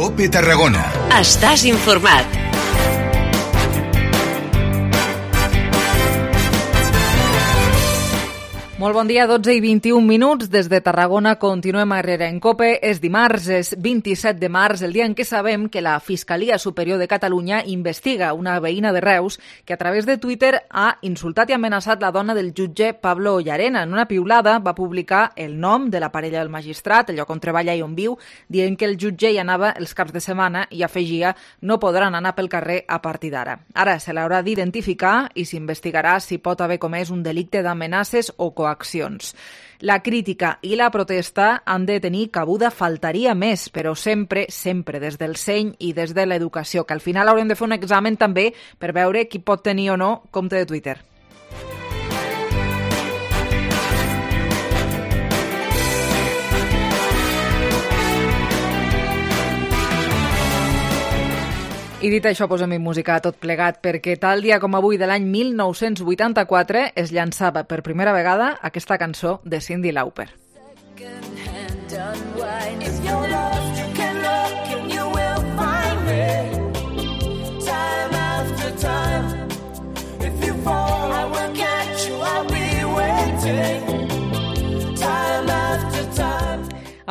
COPE Tarragona. Estàs informat. Molt bon dia, 12 i 21 minuts. Des de Tarragona continuem a Herrera en COPE. És dimarts, és 27 de març, el dia en què sabem que la Fiscalia Superior de Catalunya investiga una veïna de Reus que a través de Twitter ha insultat i amenaçat la dona del jutge Pablo Llarena. En una piulada va publicar el nom de la parella del magistrat, el lloc on treballa i on viu, dient que el jutge hi anava els caps de setmana i afegia no podran anar pel carrer a partir d'ara. Ara se l'haurà d'identificar i s'investigarà si pot haver comès un delicte d'amenaces o coaccions. La crítica i la protesta han de tenir cabuda, faltaria més, però sempre des del seny i des de l'educació, que al final haurem de fer un examen també per veure qui pot tenir o no compte de Twitter. I dit això, posem-hi música a tot plegat, perquè tal dia com avui de l'any 1984 es llançava per primera vegada aquesta cançó de Cyndi Lauper.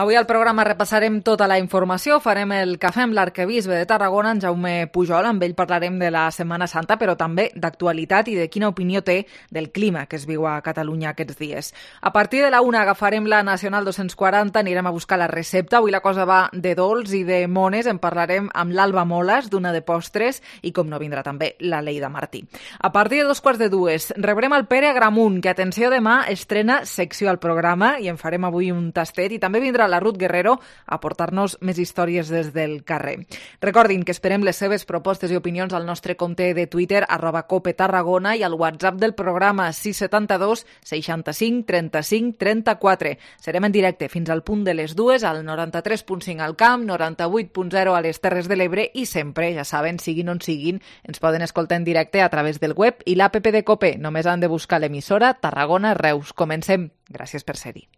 Avui al programa repassarem tota la informació, farem el cafè amb l'arquebisbe de Tarragona, en Jaume Pujol, amb ell parlarem de la Setmana Santa, però també d'actualitat i de quina opinió té del clima que es viu a Catalunya aquests dies. A partir de la 1 agafarem la Nacional 240, anirem a buscar la recepta, avui la cosa va de dolç i de mones, en parlarem amb l'Alba Moles, d'una de postres, i com no vindrà també la Leida Martí. A partir de 2:15 rebrem el Pere Agramunt, que atenció demà estrena secció al programa i en farem avui un tastet, i també vindrà la Ruth Guerrero a portar-nos més històries des del carrer. Recordin que esperem les seves propostes i opinions al nostre compte de Twitter, @COPETarragona, i al WhatsApp del programa 672 65 35 34. Serem en directe fins al punt de les 2 al 93.5 al Camp, 98.0 a les Terres de l'Ebre i sempre, ja saben, siguin on siguin, ens poden escoltar en directe a través del web i l'app de COPE. Només han de buscar l'emissora Tarragona Reus. Comencem. Gràcies per ser-hi.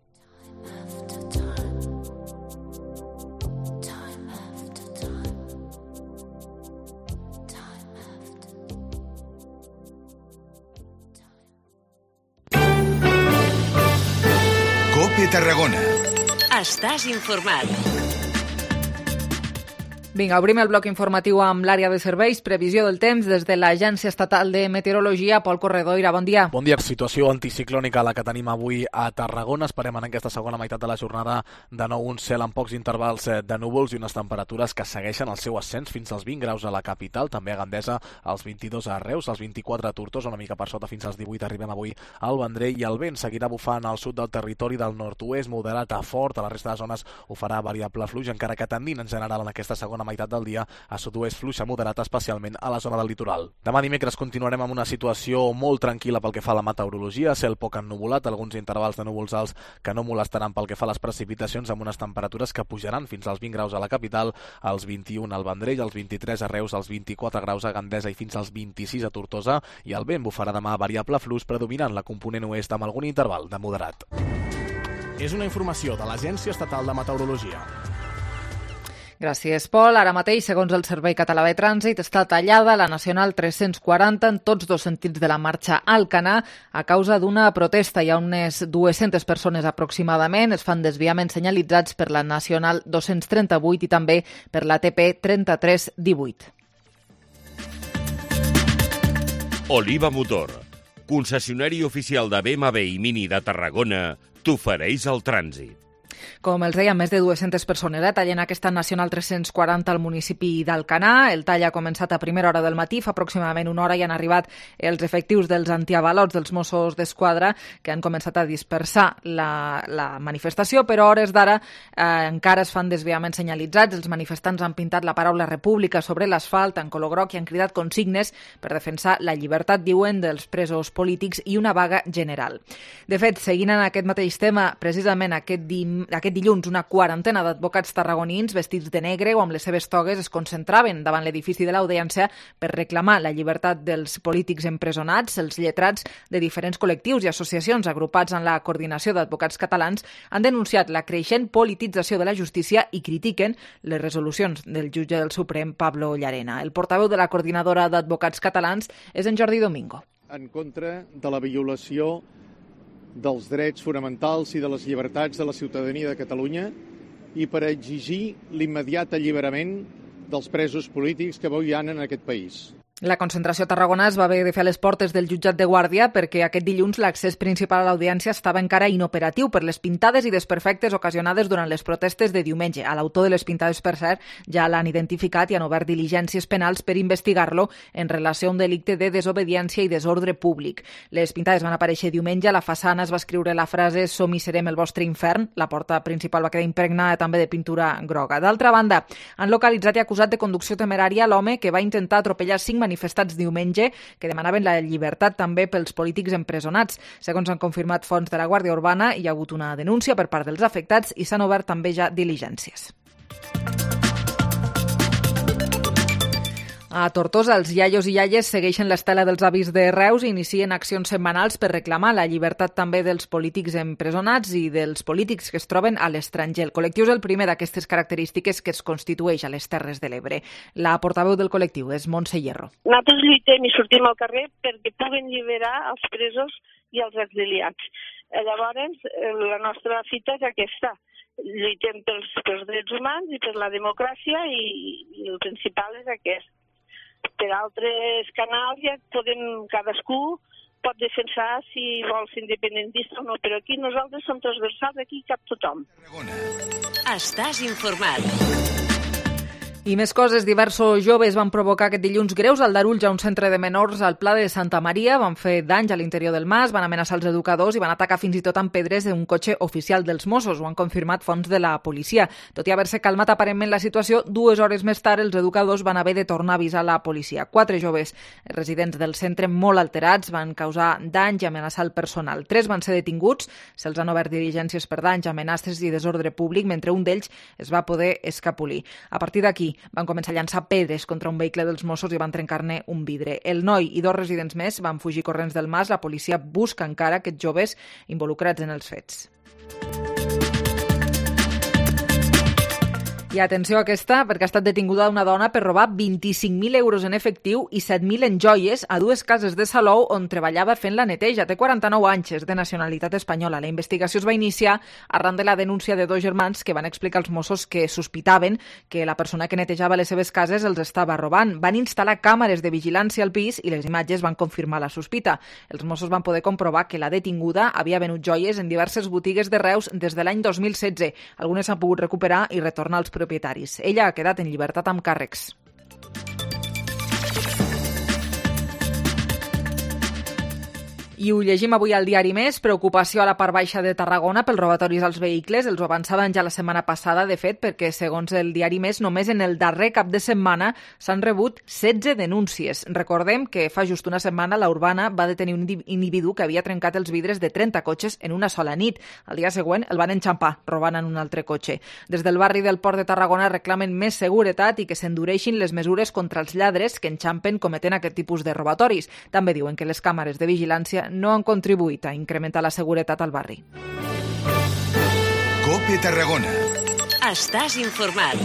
COPE Tarragona. Estàs informat. Vinga, obrim el bloc informatiu amb l'àrea de serveis. Previsió del temps des de l'Agència Estatal de Meteorologia. Pol Corredoira, bon dia. Bon dia. Situació anticiclònica la que tenim avui a Tarragona. Esperem en aquesta segona meitat de la jornada de nou un cel amb pocs intervals de núvols i unes temperatures que segueixen el seu ascens fins als 20 graus a la capital, també a Gandesa, als 22 a Reus, als 24 a Tortosa, una mica per sota fins als 18 arribem avui al Vendrell, i el vent seguirà bufant al sud del territori del nord-oest, moderat a fort. A la resta de zones ho farà variable fluix, encara que tendint en general en aquesta segona meitat del dia a sud-oest fluix a moderat, especialment a la zona del litoral. Demà dimecres continuarem amb una situació molt tranquil·la pel que fa a la meteorologia, cel poc ennuvolat, alguns intervals de núvols alts que no molestaran pel que fa a les precipitacions, amb unes temperatures que pujaran fins als 20 graus a la capital, als 21 al Vendrell, als 23 a Reus, als 24 graus a Gandesa i fins als 26 a Tortosa, i el vent bufarà demà variable fluix, predominant la component oest amb algun interval de moderat. És una informació de l'Agència Estatal de Meteorologia. Gràcies, Pol. Ara mateix, segons el Servei Català de Trànsit, està tallada la Nacional 340 en tots dos sentits de la marxa a Alcanar a causa d'una protesta. Hi ha unes 200 persones aproximadament. Es fan desviaments senyalitzats per la Nacional 238 i també per la TP 3318. Oliva Motor, concessionari oficial de BMW i Mini de Tarragona, t'ofereix el trànsit. Com els deia, més de 200 persones tallen aquesta Nacional 340 al municipi d'Alcanar. El tall ha començat a primera hora del matí, fa aproximadament una hora, i han arribat els efectius dels antiavalots dels Mossos d'Esquadra, que han començat a dispersar la manifestació, però a hores d'ara encara es fan desviaments senyalitzats. Els manifestants han pintat la paraula República sobre l'asfalt en color groc i han cridat consignes per defensar la llibertat, diuen, dels presos polítics i una vaga general. De fet, seguint en aquest mateix tema, precisament aquest dilluns una quarantena d'advocats tarragonins vestits de negre o amb les seves togues es concentraven davant l'edifici de l'Audiència per reclamar la llibertat dels polítics empresonats. Els lletrats de diferents col·lectius i associacions agrupats en la Coordinació d'Advocats Catalans han denunciat la creixent politització de la justícia i critiquen les resolucions del jutge del Suprem, Pablo Llarena. El portaveu de la Coordinadora d'Advocats Catalans és en Jordi Domingo. En contra de la violació dels drets fonamentals i de les llibertats de la ciutadania de Catalunya i per exigir l'immediat alliberament dels presos polítics que avui hi ha en aquest país. La concentració a Tarragona es va haver de fer a les portes del jutjat de Guàrdia perquè aquest dilluns l'accés principal a l'audiència estava encara inoperatiu per les pintades i desperfectes ocasionades durant les protestes de diumenge. A l'autor de les pintades, per cert, ja l'han identificat i han obert diligències penals per investigar-lo en relació a un delicte de desobediència i desordre públic. Les pintades van aparèixer diumenge, a la façana es va escriure la frase «Som i serem el vostre infern», la porta principal va quedar impregnada també de pintura groga. D'altra banda, han localitzat i acusat de conducció temerària l'home que va intentar atropellar 5 manifestats diumenge que demanaven la llibertat també pels polítics empresonats. Segons han confirmat fonts de la Guàrdia Urbana, hi ha hagut una denúncia per part dels afectats i s'han obert també ja diligències. A Tortosa, els iaios i iaies segueixen l'estela dels avis de Reus i inicien accions setmanals per reclamar la llibertat també dels polítics empresonats i dels polítics que es troben a l'estranger. El col·lectiu és el primer d'aquestes característiques que es constitueix a les Terres de l'Ebre. La portaveu del col·lectiu és Montse Hierro. Nosaltres lluitem i sortim al carrer perquè puguen alliberar els presos i els exiliats. Llavors, la nostra fita és aquesta. Lluitem pels drets humans i per la democràcia i el principal és aquest. Per altres canals ja cadascú pot defensar si vol ser independentista o no, però aquí nosaltres som transversals, aquí cap tothom. Estàs informat. I més coses, diversos joves van provocar aquest dilluns greus al Darulls a un centre de menors al Pla de Santa Maria, van fer danys a l'interior del mas, van amenaçar els educadors i van atacar fins i tot amb pedres un cotxe oficial dels Mossos, ho han confirmat fonts de la policia. Tot i haver-se calmat aparentment la situació, 2 hores més tard els educadors van haver de tornar a avisar la policia. 4 joves residents del centre molt alterats van causar danys i amenaçar el personal. 3 van ser detinguts, se'ls han obert diligències per danys, amenaces i desordre públic, mentre un d'ells es va poder escapolir. A partir d'aquí, van començar a llançar pedres contra un vehicle dels Mossos i van trencar-ne un vidre. El noi i 2 residents més van fugir corrents del mas. La policia busca encara aquests joves involucrats en els fets. I atenció a aquesta, perquè ha estat detinguda una dona per robar 25.000 euros en efectiu i 7.000 en joies a 2 cases de Salou on treballava fent la neteja. Té 49 anys, és de nacionalitat espanyola. La investigació es va iniciar arran de la denúncia de 2 germans que van explicar als Mossos que sospitaven que la persona que netejava les seves cases els estava robant. Van instal·lar càmeres de vigilància al pis i les imatges van confirmar la sospita. Els Mossos van poder comprovar que la detinguda havia venut joies en diverses botigues de Reus des de l'any 2016. Algunes s'han pogut recuperar i retornar als propietaris. Ella ha quedat en llibertat amb càrrecs. I ho llegim avui al diari Més. Preocupació a la part baixa de Tarragona pels robatoris als vehicles. Els ho avançaven ja la setmana passada, de fet, perquè segons el diari Més, només en el darrer cap de setmana s'han rebut 16 denúncies. Recordem que fa just una setmana la Urbana va detenir un individu que havia trencat els vidres de 30 cotxes en una sola nit. Al dia següent el van enxampar, robant en un altre cotxe. Des del barri del Port de Tarragona reclamen més seguretat i que s'endureixin les mesures contra els lladres que enxampen cometent aquest tipus de robatoris. També diuen que les càmeres de vigilància no han contribuït a incrementar la seguretat al barri. COPE Tarragona. Estàs informat.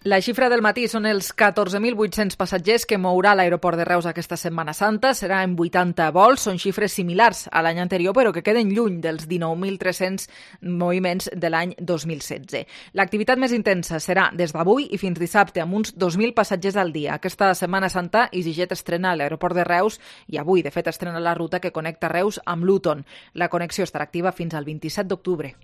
La xifra del matí són els 14.800 passatgers que mourà l'aeroport de Reus aquesta Setmana Santa. Serà en 80 vols. Són xifres similars a l'any anterior, però que queden lluny dels 19.300 moviments de l'any 2016. L'activitat més intensa serà des d'avui i fins dissabte, amb uns 2.000 passatgers al dia. Aquesta Setmana Santa, EasyJet estrena l'aeroport de Reus i avui, de fet, estrena la ruta que connecta Reus amb Luton. La connexió estarà activa fins al 27 d'octubre.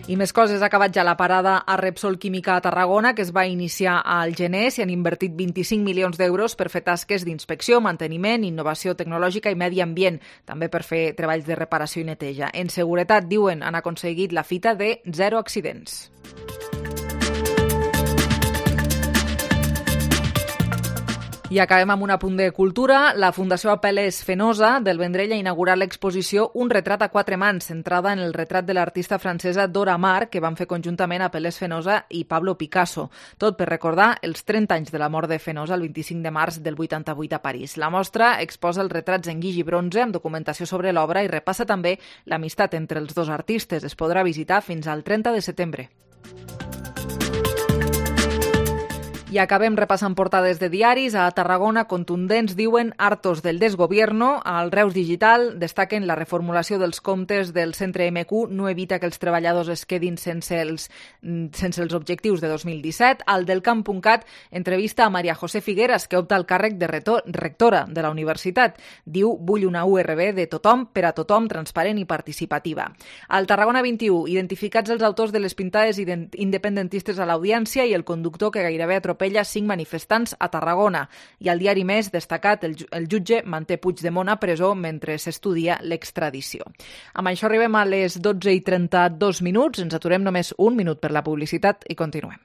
I més coses, ha acabat ja la parada a Repsol Química a Tarragona, que es va iniciar al gener. S'hi han invertit 25 milions d'euros per fer tasques d'inspecció, manteniment, innovació tecnològica i medi ambient, també per fer treballs de reparació i neteja. En seguretat, diuen, han aconseguit la fita de 0 accidents. I acabem amb un apunt de cultura. La Fundació Apel·les Fenosa del Vendrell ha inaugurat l'exposició Un retrat a quatre mans, centrada en el retrat de l'artista francesa Dora Maar, que van fer conjuntament Apel·les Fenosa i Pablo Picasso. Tot per recordar els 30 anys de la mort de Fenosa el 25 de març del 88 a París. La mostra exposa els retrats en guix i bronze amb documentació sobre l'obra i repassa també l'amistat entre els dos artistes. Es podrà visitar fins al 30 de setembre. I acabem repassant portades de diaris. A Tarragona, contundents diuen hartos del desgobierno. Al Reus Digital destaquen la reformulació dels comptes del centre MQ no evita que els treballadors es quedin sense els objectius de 2017. Al Delcamp.cat entrevista a Maria José Figueras, que opta al càrrec de rectora de la universitat. Diu, vull una URB de tothom, per a tothom, transparent i participativa. Al Tarragona 21, identificats els autors de les pintades independentistes a l'audiència i el conductor que gairebé atropella 5 manifestants a Tarragona. I al diari Més, destacat, el jutge manté Puigdemont a presó mentre s'estudia l'extradició. Amb això arribem a les 12:32. Ens aturem només un minut per la publicitat i continuem.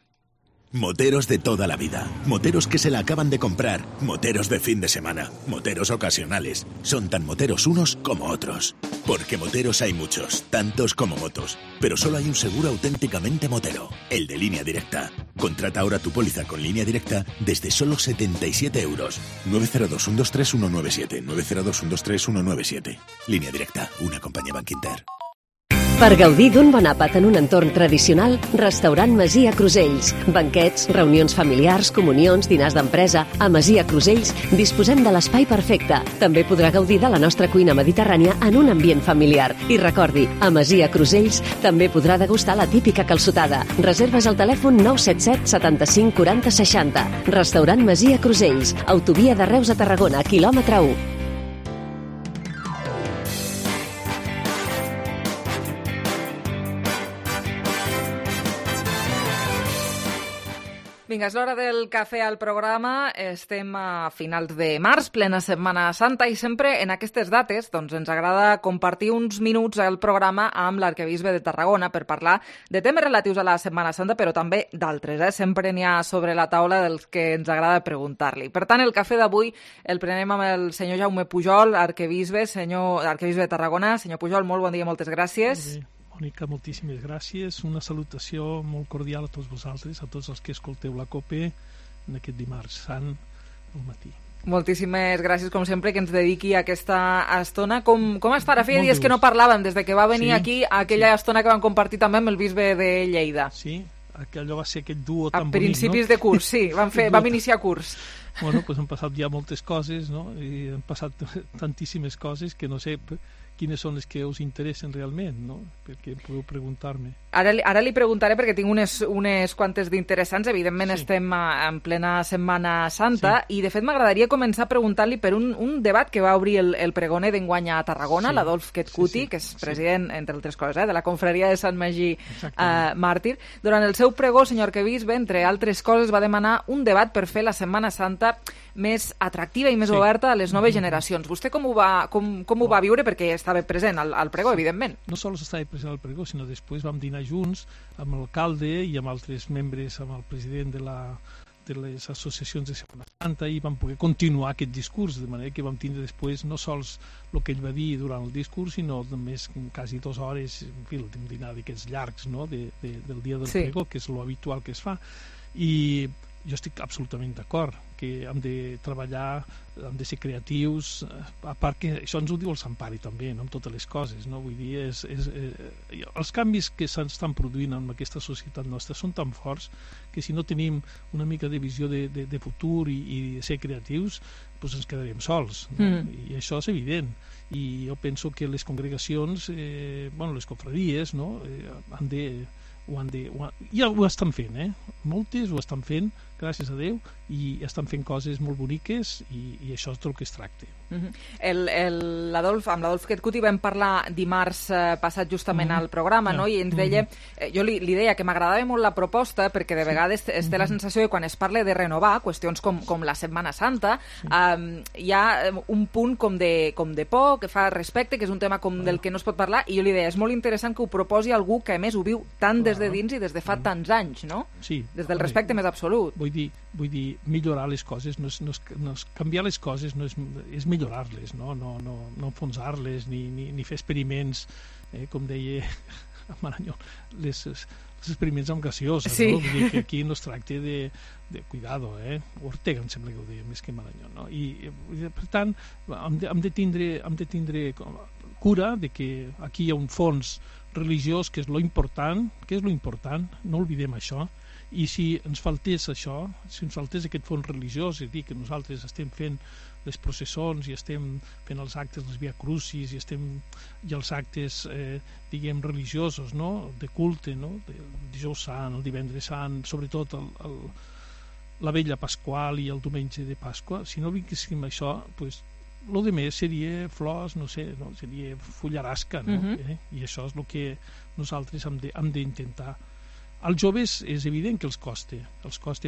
Moteros de toda la vida, moteros que se la acaban de comprar, moteros de fin de semana, moteros ocasionales. Son tan moteros unos como otros. Porque moteros hay muchos, tantos como motos. Pero solo hay un seguro auténticamente motero, el de Línea Directa. Contrata ahora tu póliza con Línea Directa desde solo 77 euros. 902 123 197, 902 123 197. Línea Directa, una compañía Bankinter. Per gaudir d'un bon àpat en un entorn tradicional, Restaurant Masia Crusells. Banquets, reunions familiars, comunions, dinars d'empresa. A Masia Crusells disposem de l'espai perfecte. També podrà gaudir de la nostra cuina mediterrània en un ambient familiar. I recordi, a Masia Crusells també podrà degustar la típica calçotada. Reserves al telèfon 977 75 40 60. Restaurant Masia Crusells. Autovia de Reus a Tarragona, quilòmetre 1. Vinga, és l'hora del cafè al programa. Estem a finals de març, plena Setmana Santa, i sempre en aquestes dates doncs, ens agrada compartir uns minuts al programa amb l'arquebisbe de Tarragona per parlar de temes relatius a la Setmana Santa, però també d'altres. Sempre n'hi ha sobre la taula dels que ens agrada preguntar-li. Per tant, el cafè d'avui el prenem amb el senyor Jaume Pujol, arquebisbe de Tarragona. Senyor Pujol, molt bon dia, moltes gràcies. Mònica, moltíssimes gràcies. Una salutació molt cordial a tots vosaltres, a tots els que escolteu la COPE en aquest dimarts sant al matí. Moltíssimes gràcies, com sempre, que ens dediqui a aquesta estona. Com està? Ara feia dies que no parlàvem, des de que va venir aquí, aquella estona que vam compartir també amb el bisbe de Lleida. Sí, allò va ser aquest duo tan bonic, no? A principis de curs, sí, vam iniciar curs. Bueno, doncs han passat ja moltes coses, no? I han passat tantíssimes coses que no sé quines són les que us interessen realment, no? Perquè podeu preguntar-me. Ara li preguntaré perquè tinc unes quantes d'interessants. Evidentment estem en plena Setmana Santa i de fet m'agradaria començar preguntant-li per un debat que va obrir el pregoner d'enguany a Tarragona, l'Adolf Ketkuti, que és president, entre altres coses, de la confraria de Sant Magí Màrtir. Durant el seu pregó, senyor arquebisbe, entre altres coses, va demanar un debat per fer la Setmana Santa més atractiva i més oberta a les noves generacions. Vostè com ho va viure? Perquè estava present al pregó, evidentment. No sols estava present al pregó, sinó després vam dinar junts amb l'alcalde i amb altres membres, amb el president de les associacions de Setmana Santa, i vam poder continuar aquest discurs, de manera que vam tindre després no sols el que ell va dir durant el discurs, sinó només quasi 2 hores, en fi, un dinar d'aquests llargs, no?, del dia del pregó, que és lo habitual que es fa. I jo estic absolutament d'acord que hem de treballar, hem de ser creatius, a part que això ens ho diu el Sant Pare també, no?, amb totes les coses, no? Vull dir, els canvis que s'estan produint en aquesta societat nostra són tan forts que si no tenim una mica de visió de futur i de ser creatius, doncs ens quedarem sols, no? I això és evident. I jo penso que les congregacions, les confraries, no?, ja ho estan fent, moltes ho estan fent, gràcies a Déu, i estan fent coses molt boniques i això és del que es tracta. Amb l'Adolf Ketkuti vam parlar dimarts passat justament al programa, no? I ens deia, jo li deia que m'agradava molt la proposta perquè de vegades es té la sensació que quan es parla de renovar qüestions com la Setmana Santa hi ha un punt com de por, que fa respecte, que és un tema del que no es pot parlar, i jo li deia, és molt interessant que ho proposi algú que a més ho viu tant des de dins i des de fa tants anys, no? Sí. Des del respecte més absolut. Vull vull dir, millorar les coses, no és canviar les coses, és millorar-les, no enfonsar-les, ni fer experiments, com deia Marañón, els experiments amb gaseosa, no? Vull dir que aquí no es tracta de cuidado, Ortega em sembla que ho deia més que Marañón, no? I per tant hem de tindre cura de que aquí hi ha un fons religiós que és lo important, no oblidem això, i si ens faltés això, si ens faltés aquest fons religiós, és a dir, que nosaltres estem fent les processons i estem fent els actes, les Via Crucis, i els actes, diguem, religiosos, no?, de culte, no?, el dijous sant, el divendres sant, sobretot la vella Pasqual i el diumenge de Pasqua, si no vinguéssim això, doncs, el que més seria flors, no sé, seria fullarasca, no? I això és el que nosaltres hem d'intentar. Als joves és evident que els costa,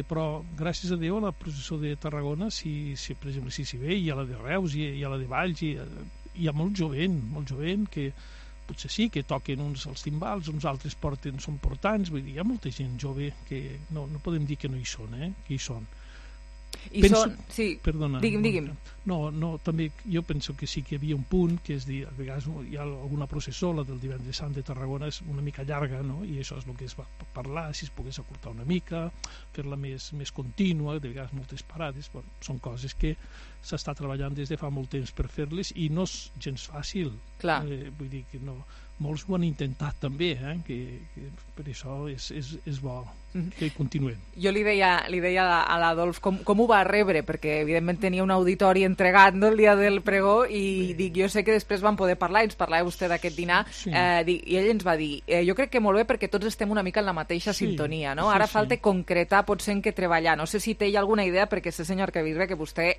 però gràcies a Déu a la processó de Tarragona, per exemple, si s'hi ve, hi ha la de Reus, hi ha la de Valls, hi ha molt jovent que potser sí que toquen uns els timbals, uns altres són portants, vull dir, hi ha molta gent jove que no podem dir que no hi són, que hi són. Perdona, digui'm. No, també jo penso que sí que hi havia un punt que és dir, a vegades hi ha alguna processó, la del divendres sant de Tarragona és una mica llarga, no? I això és el que es va parlar, si es pogués acortar una mica, fer-la més contínua, de vegades moltes parades, però són coses que s'està treballant des de fa molt temps per fer-les i no és gens fàcil. Clar. Vull dir que no, molts ho han intentat també, que per això és bo que continuem. Jo li deia a l'Adolf com ho va rebre, perquè evidentment tenia un auditori entregat, no, el dia del pregó, i dic, jo sé que després van poder parlar, ens parlava vostè d'aquest dinar, i ell ens va dir, jo crec que molt bé perquè tots estem una mica en la mateixa sintonia, no? Ara falta concretar potser en què treballar. No sé si té alguna idea, perquè sé, senyor Arquebisbe, que vostè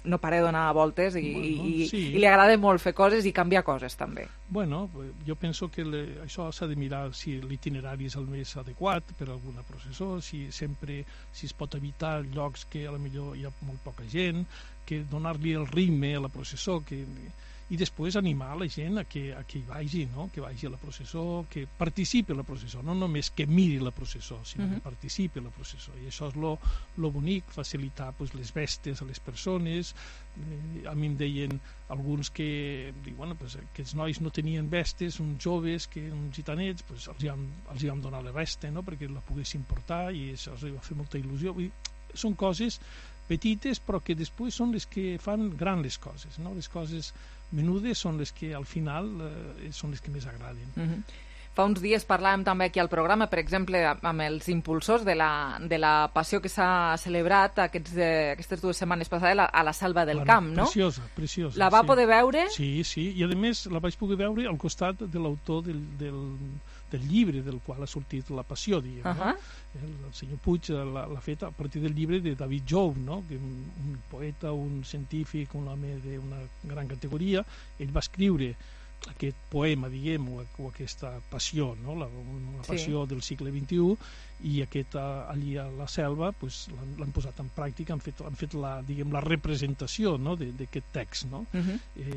no para de donar voltes i li agrada molt fer coses i canviar coses també. Bueno, jo penso que això s'ha de mirar si l'itinerari és el més adequat per a alguna processó, si es pot evitar llocs que a lo millor hi ha molt poca gent, que donar-li el ritme a la processó, i després animar la gent a que hi vagi, no? Que vagi a la processó, que participi a la processó, no només que miri la processó, sinó que participi a la processó, i això és lo bonic, facilitar les vestes a les persones. A mi em deien alguns que aquests nois no tenien vestes, uns joves, uns gitanets, els vam donar la vesta, no? Perquè la poguessin portar, i això els va fer molta il·lusió. Són coses petites però que després són les que fan grans les coses, no? Les coses menudes són les que al final són les que més agraden. Fa uns dies parlàvem també aquí al programa, per exemple, amb els impulsors de la passió que s'ha celebrat aquestes 2 setmanes passades a la Selva del Camp, no? Preciosa. La va poder veure? Sí, i a més la vaig poder veure al costat de l'autor del llibre del qual ha sortit la passió, diguem, no? El senyor Puig l'ha fet a partir del llibre de David Joub, no? Un poeta, un científic, un home d'una gran categoria. Ell va escriure aquest poema, diguem, o aquesta passió, no? Una passió del segle XXI, i allí a la selva l'han posat en pràctica, han fet la representació, no? d'aquest text, no?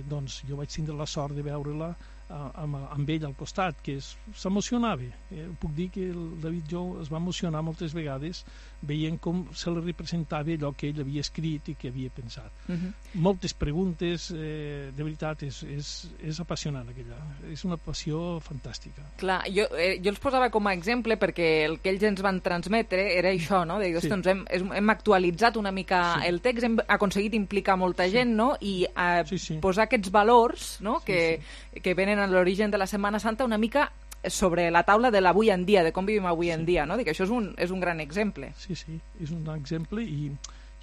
Doncs jo vaig tindre la sort de veure-la amb ell al costat, que s'emocionava. Puc dir que el David Jou es va emocionar moltes vegades veient com se li representava allò que ell havia escrit i que havia pensat. Moltes preguntes, de veritat, és apassionant aquella. És una passió fantàstica. Clar, jo els posava com a exemple perquè el que ells ens van transmetre era això, no? De dir, hem actualitzat una mica el text, hem aconseguit implicar molta gent, no? I posar aquests valors, no? Que venen a l'origen de la Setmana Santa una mica sobre la taula de l'avui en dia, de com vivim avui en dia, no? Dic, això és un gran exemple. Sí, és un exemple, i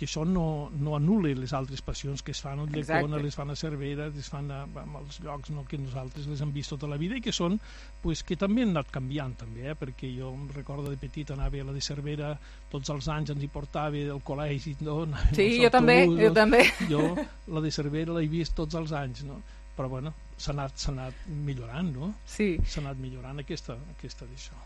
això no anul·la les altres passions que es fan a Ulldecona, les fan a Cervera, les fan a els llocs que nosaltres les hem vist tota la vida i que són, que també han anat canviant també, perquè jo em recordo de petit anava a la de Cervera tots els anys, ens hi portava del col·legi, no? Sí, jo també. Jo la de Cervera l'he vist tots els anys, no? Però bueno, s'ha anat millorant, no? Sí. S'ha anat millorant aquesta d'això.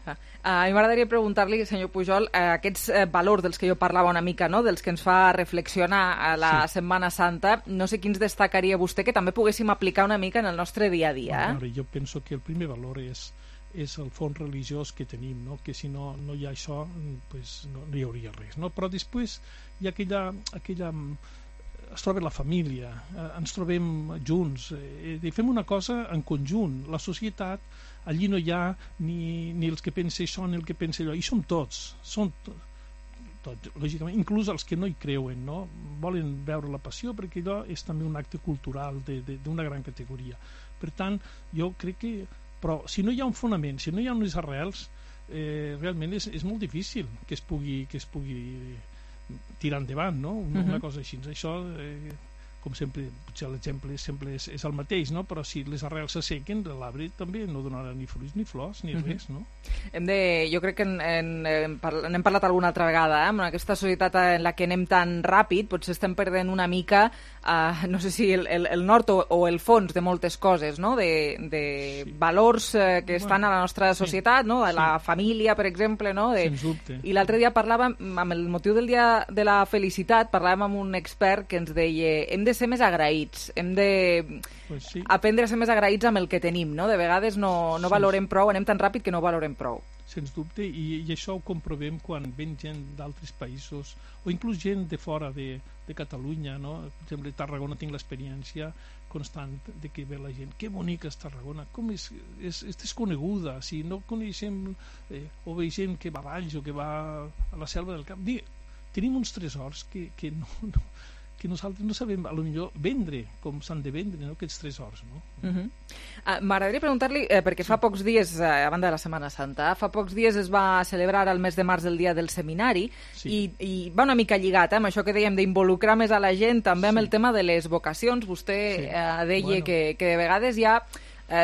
A mi m'agradaria preguntar-li, senyor Pujol, aquests valors dels que jo parlava una mica, no? Dels que ens fa reflexionar a la Setmana Santa, no sé quins destacaria vostè que també poguéssim aplicar una mica en el nostre dia a dia. Jo penso que el primer valor és és el fons religiós que tenim, no? Que si no hi ha això pues no hi hauria res, no? Però després hi ha aquella es troba la família, ens trobem junts, fem una cosa en conjunt. La societat, allí no hi ha ni els que pensen això ni el que pensa allò, i som tots, lògicament, inclús els que no hi creuen, no? Volen veure la passió, perquè allò és també un acte cultural d'una gran categoria. Per tant, jo crec que... Però si no hi ha un fonament, si no hi ha unes arrels, realment és molt difícil que es pugui tirar endavant, no? Una cosa així. Això, com sempre, potser l'exemple sempre és el mateix, no? Però si les arrels s'assequen, l'arbre també no donarà ni fruits ni flors ni res, no? Jo crec que n'hem parlat alguna altra vegada, en aquesta societat en la que anem tan ràpid, potser estem perdent una mica, no sé si el nord o el fons de moltes coses, no? De valors que estan a la nostra societat, no? De la família, per exemple, no? Sens dubte. I l'altre dia parlàvem, amb el motiu del Dia de la Felicitat, parlàvem amb un expert que ens deia hem de ser més agraïts, hem de aprendre a ser més agraïts amb el que tenim, no? De vegades no valorem prou, anem tan ràpid que no valorem prou. Sens dubte, i això ho comprovem quan ven gent d'altres països o inclús gent de fora de Catalunya, no? Per exemple, a Tarragona tinc l'experiència constant de que ve la gent, que bonica és Tarragona, com és desconeguda, si no coneixem o veiem que va a Valls o que va a la Selva del Camp, tenim uns tresors que nosaltres no sabem, potser vendre com s'han de vendre, no? Aquests tresors, no? M'agradaria preguntar-li, perquè fa pocs dies, a banda de la Setmana Santa, fa pocs dies es va celebrar el mes de març el dia del seminari, i va una mica lligat amb això que dèiem d'involucrar més a la gent, també amb el tema de les vocacions. Vostè deia que de vegades hi ha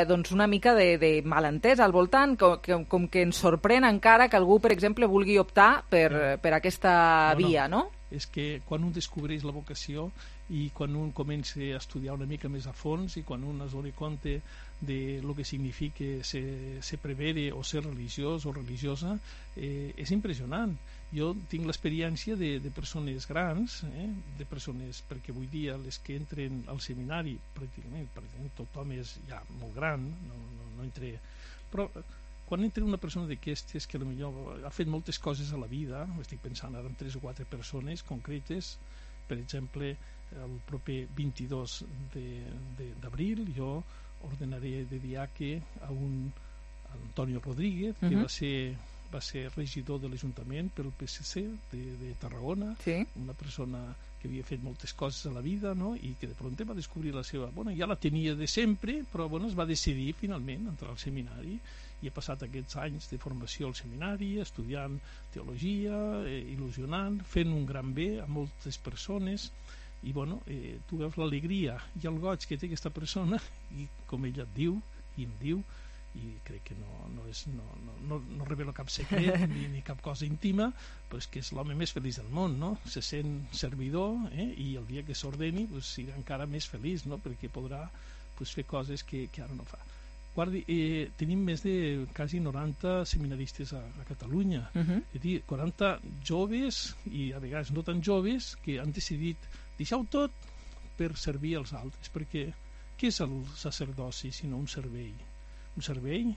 doncs una mica de malentès al voltant, com que ens sorprèn encara que algú, per exemple, vulgui optar per aquesta via, no? És que quan un descobreix la vocació i quan un comença a estudiar una mica més a fons i quan un es dona compte de lo que significa ser prevere o ser religiós o religiosa, és impressionant. Jo tinc l'experiència de persones grans, de persones, perquè avui dia les que entren al seminari, pràcticament tothom és ja molt gran, no entra... Però quan entra una persona d'aquestes que potser ha fet moltes coses a la vida, estic pensant ara en 3 o 4 persones concretes, per exemple, el proper 22 d'abril jo ordenaré de diaque a un Antonio Rodríguez, que va ser regidor de l'Ajuntament pel PSC de Tarragona, una persona que havia fet moltes coses a la vida, no? I que de prompt va descobrir la seva... ja la tenia de sempre, però es va decidir finalment entrar al seminari i ha passat aquests anys de formació al seminari, estudiant teologia, il·lusionant, fent un gran bé a moltes persones, i tu veus l'alegria i el goig que té aquesta persona, i com ella et diu, i em diu, i crec que no revela cap secret ni cap cosa íntima, però és que és l'home més feliç del món, no? Se sent servidor, i el dia que s'ordeni serà encara més feliç, no? Perquè podrà fer coses que ara no fa. Guardi, tenim més de quasi 90 seminaristes a Catalunya, és a dir, 40 joves i a vegades no tan joves que han decidit deixar-ho tot per servir als altres, perquè què és el sacerdoci sinó un servei? Un servei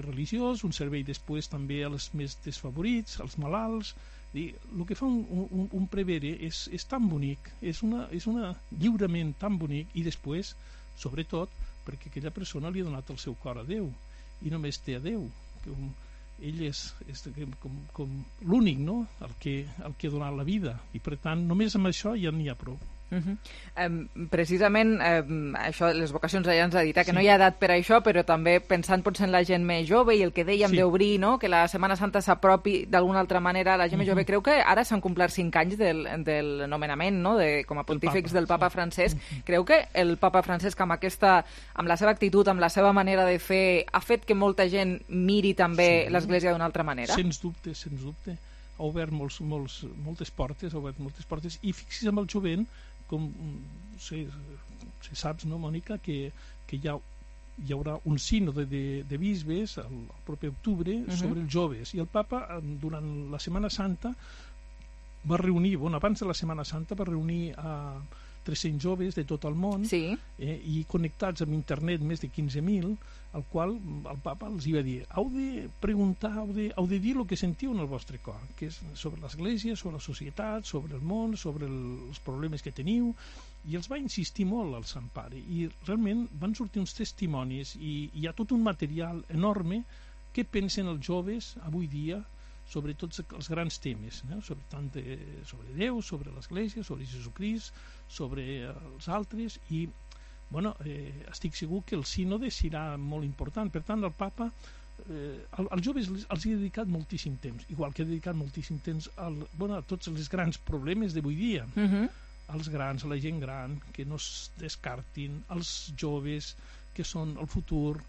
religiós, un servei després també als més desfavorits, als malalts. El que fa un prevere és tan bonic, és un lliurament tan bonic, i després, sobretot, perquè aquella persona li ha donat el seu cor a Déu, i només té a Déu. Ell és com l'únic, no? El que ha donat la vida, i per tant només amb això ja n'hi ha prou. Precisament això, les vocacions ja ens ha dit que no hi ha edat per a això, però també pensant potser en la gent més jove i el que dèiem d'obrir, no? Que la Setmana Santa s'apropi d'alguna altra manera a la gent més jove. Creu que ara s'han complert 5 anys del nomenament, no? Com a pontífex del papa Francesc. Creu que el papa Francesc amb la seva actitud, amb la seva manera de fer, ha fet que molta gent miri també l'Església d'una altra manera? Sens dubte, sens dubte. Ha obert moltes portes, i fixi's amb el jovent, com saps, no, Mònica, que hi haurà un sínode de bisbes el proper octubre sobre els joves, i el papa durant la Setmana Santa va reunir, abans de la Setmana Santa va reunir 300 joves de tot el món, i connectats amb internet més de 15.000, al qual el papa els va dir: heu de preguntar, heu de dir el que sentiu en el vostre cor, que és sobre l'Església, sobre la societat, sobre el món, sobre els problemes que teniu. I els va insistir molt al Sant Pare, i realment van sortir uns testimonis, i hi ha tot un material enorme. Què pensen els joves avui dia sobre tots els grans temes, sobre Déu, sobre l'Església, sobre Jesucrist, sobre els altres, i estic segur que el sínode serà molt important. Per tant, el papa als joves els ha dedicat moltíssim temps, igual que ha dedicat moltíssim temps a tots els grans problemes d'avui dia, als grans, a la gent gran, que no es descartin, als joves que són el futur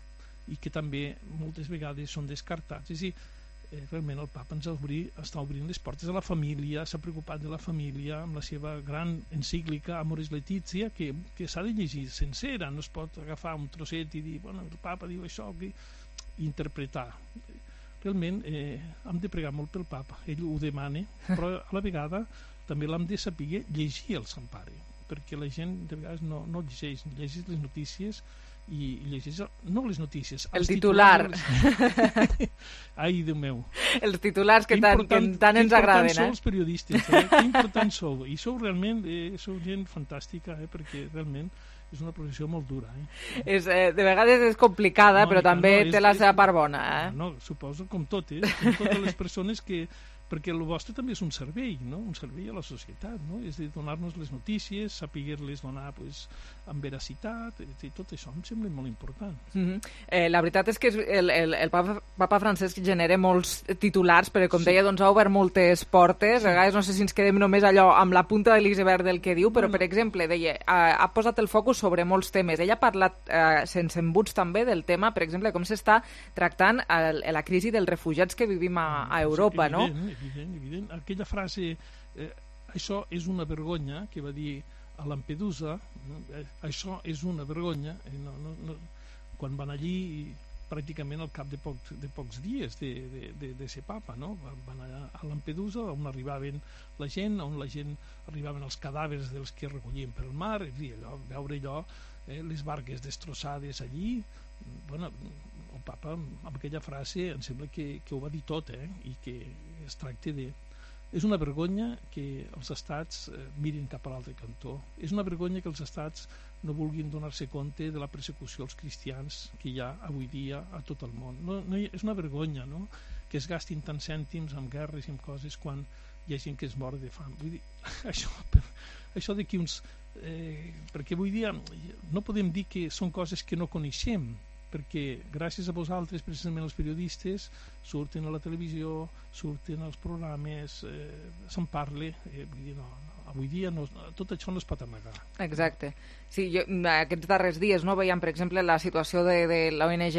i que també moltes vegades són descartats. És a dir, realment el papa ens està obrint les portes a la família, s'ha preocupat de la família amb la seva gran encíclica Amoris Laetitia, que s'ha de llegir sencera, no es pot agafar un trosset i dir, el papa diu això, i interpretar. Realment hem de pregar molt pel papa, ell ho demana, però a la vegada també l'hem de saber llegir el Sant Pare, perquè la gent de vegades no llegeix les notícies, i llegeix, no les notícies, el titular. Ai, Déu meu, els titulars que tant ens agraden. Que importants sou els periodistes, que importants sou, i sou realment sou gent fantàstica, perquè realment és una professió molt dura. De vegades és complicada, però també té la seva part bona. Suposo, com totes les persones que... perquè el vostre també és un servei, un servei a la societat, és de donar-nos les notícies, saber-les donar amb veracitat, i tot això em sembla molt important. La veritat és que el papa Francesc genera molts titulars, però com deia, ha obert moltes portes, a vegades no sé si ens quedem només allò amb la punta de l'iceberg del que diu, però per exemple, deia, ha posat el focus sobre molts temes. Ell ha parlat sense embuts també del tema, per exemple, com s'està tractant la crisi dels refugiats que vivim a Europa, no? Evident. Aquella frase, això és una vergonya, que va dir a Lampedusa, això és una vergonya, quan van allí pràcticament al cap de pocs dies de ser papa, van anar a Lampedusa, on arribaven la gent, arribaven els cadàvers dels que recollien pel mar, veure allò, les barques destrossades allí. El papa amb aquella frase em sembla que ho va dir tot, i que es tracta de... És una vergonya que els estats mirin cap a l'altre cantó. És una vergonya que els estats no vulguin donar-se compte de la persecució als cristians que hi ha avui dia a tot el món. És una vergonya, que es gastin tants cèntims en guerres i en coses quan hi ha gent que es mor de fam. Vull dir, això d'aquí uns... perquè avui dia no podem dir que són coses que no coneixem, perquè gràcies a vosaltres, precisament els periodistes, surten a la televisió, surten als programes, se'n parla, avui dia tot això no es pot amagar. Exacte. Sí, aquests darrers dies veiem, per exemple, la situació de l'ONG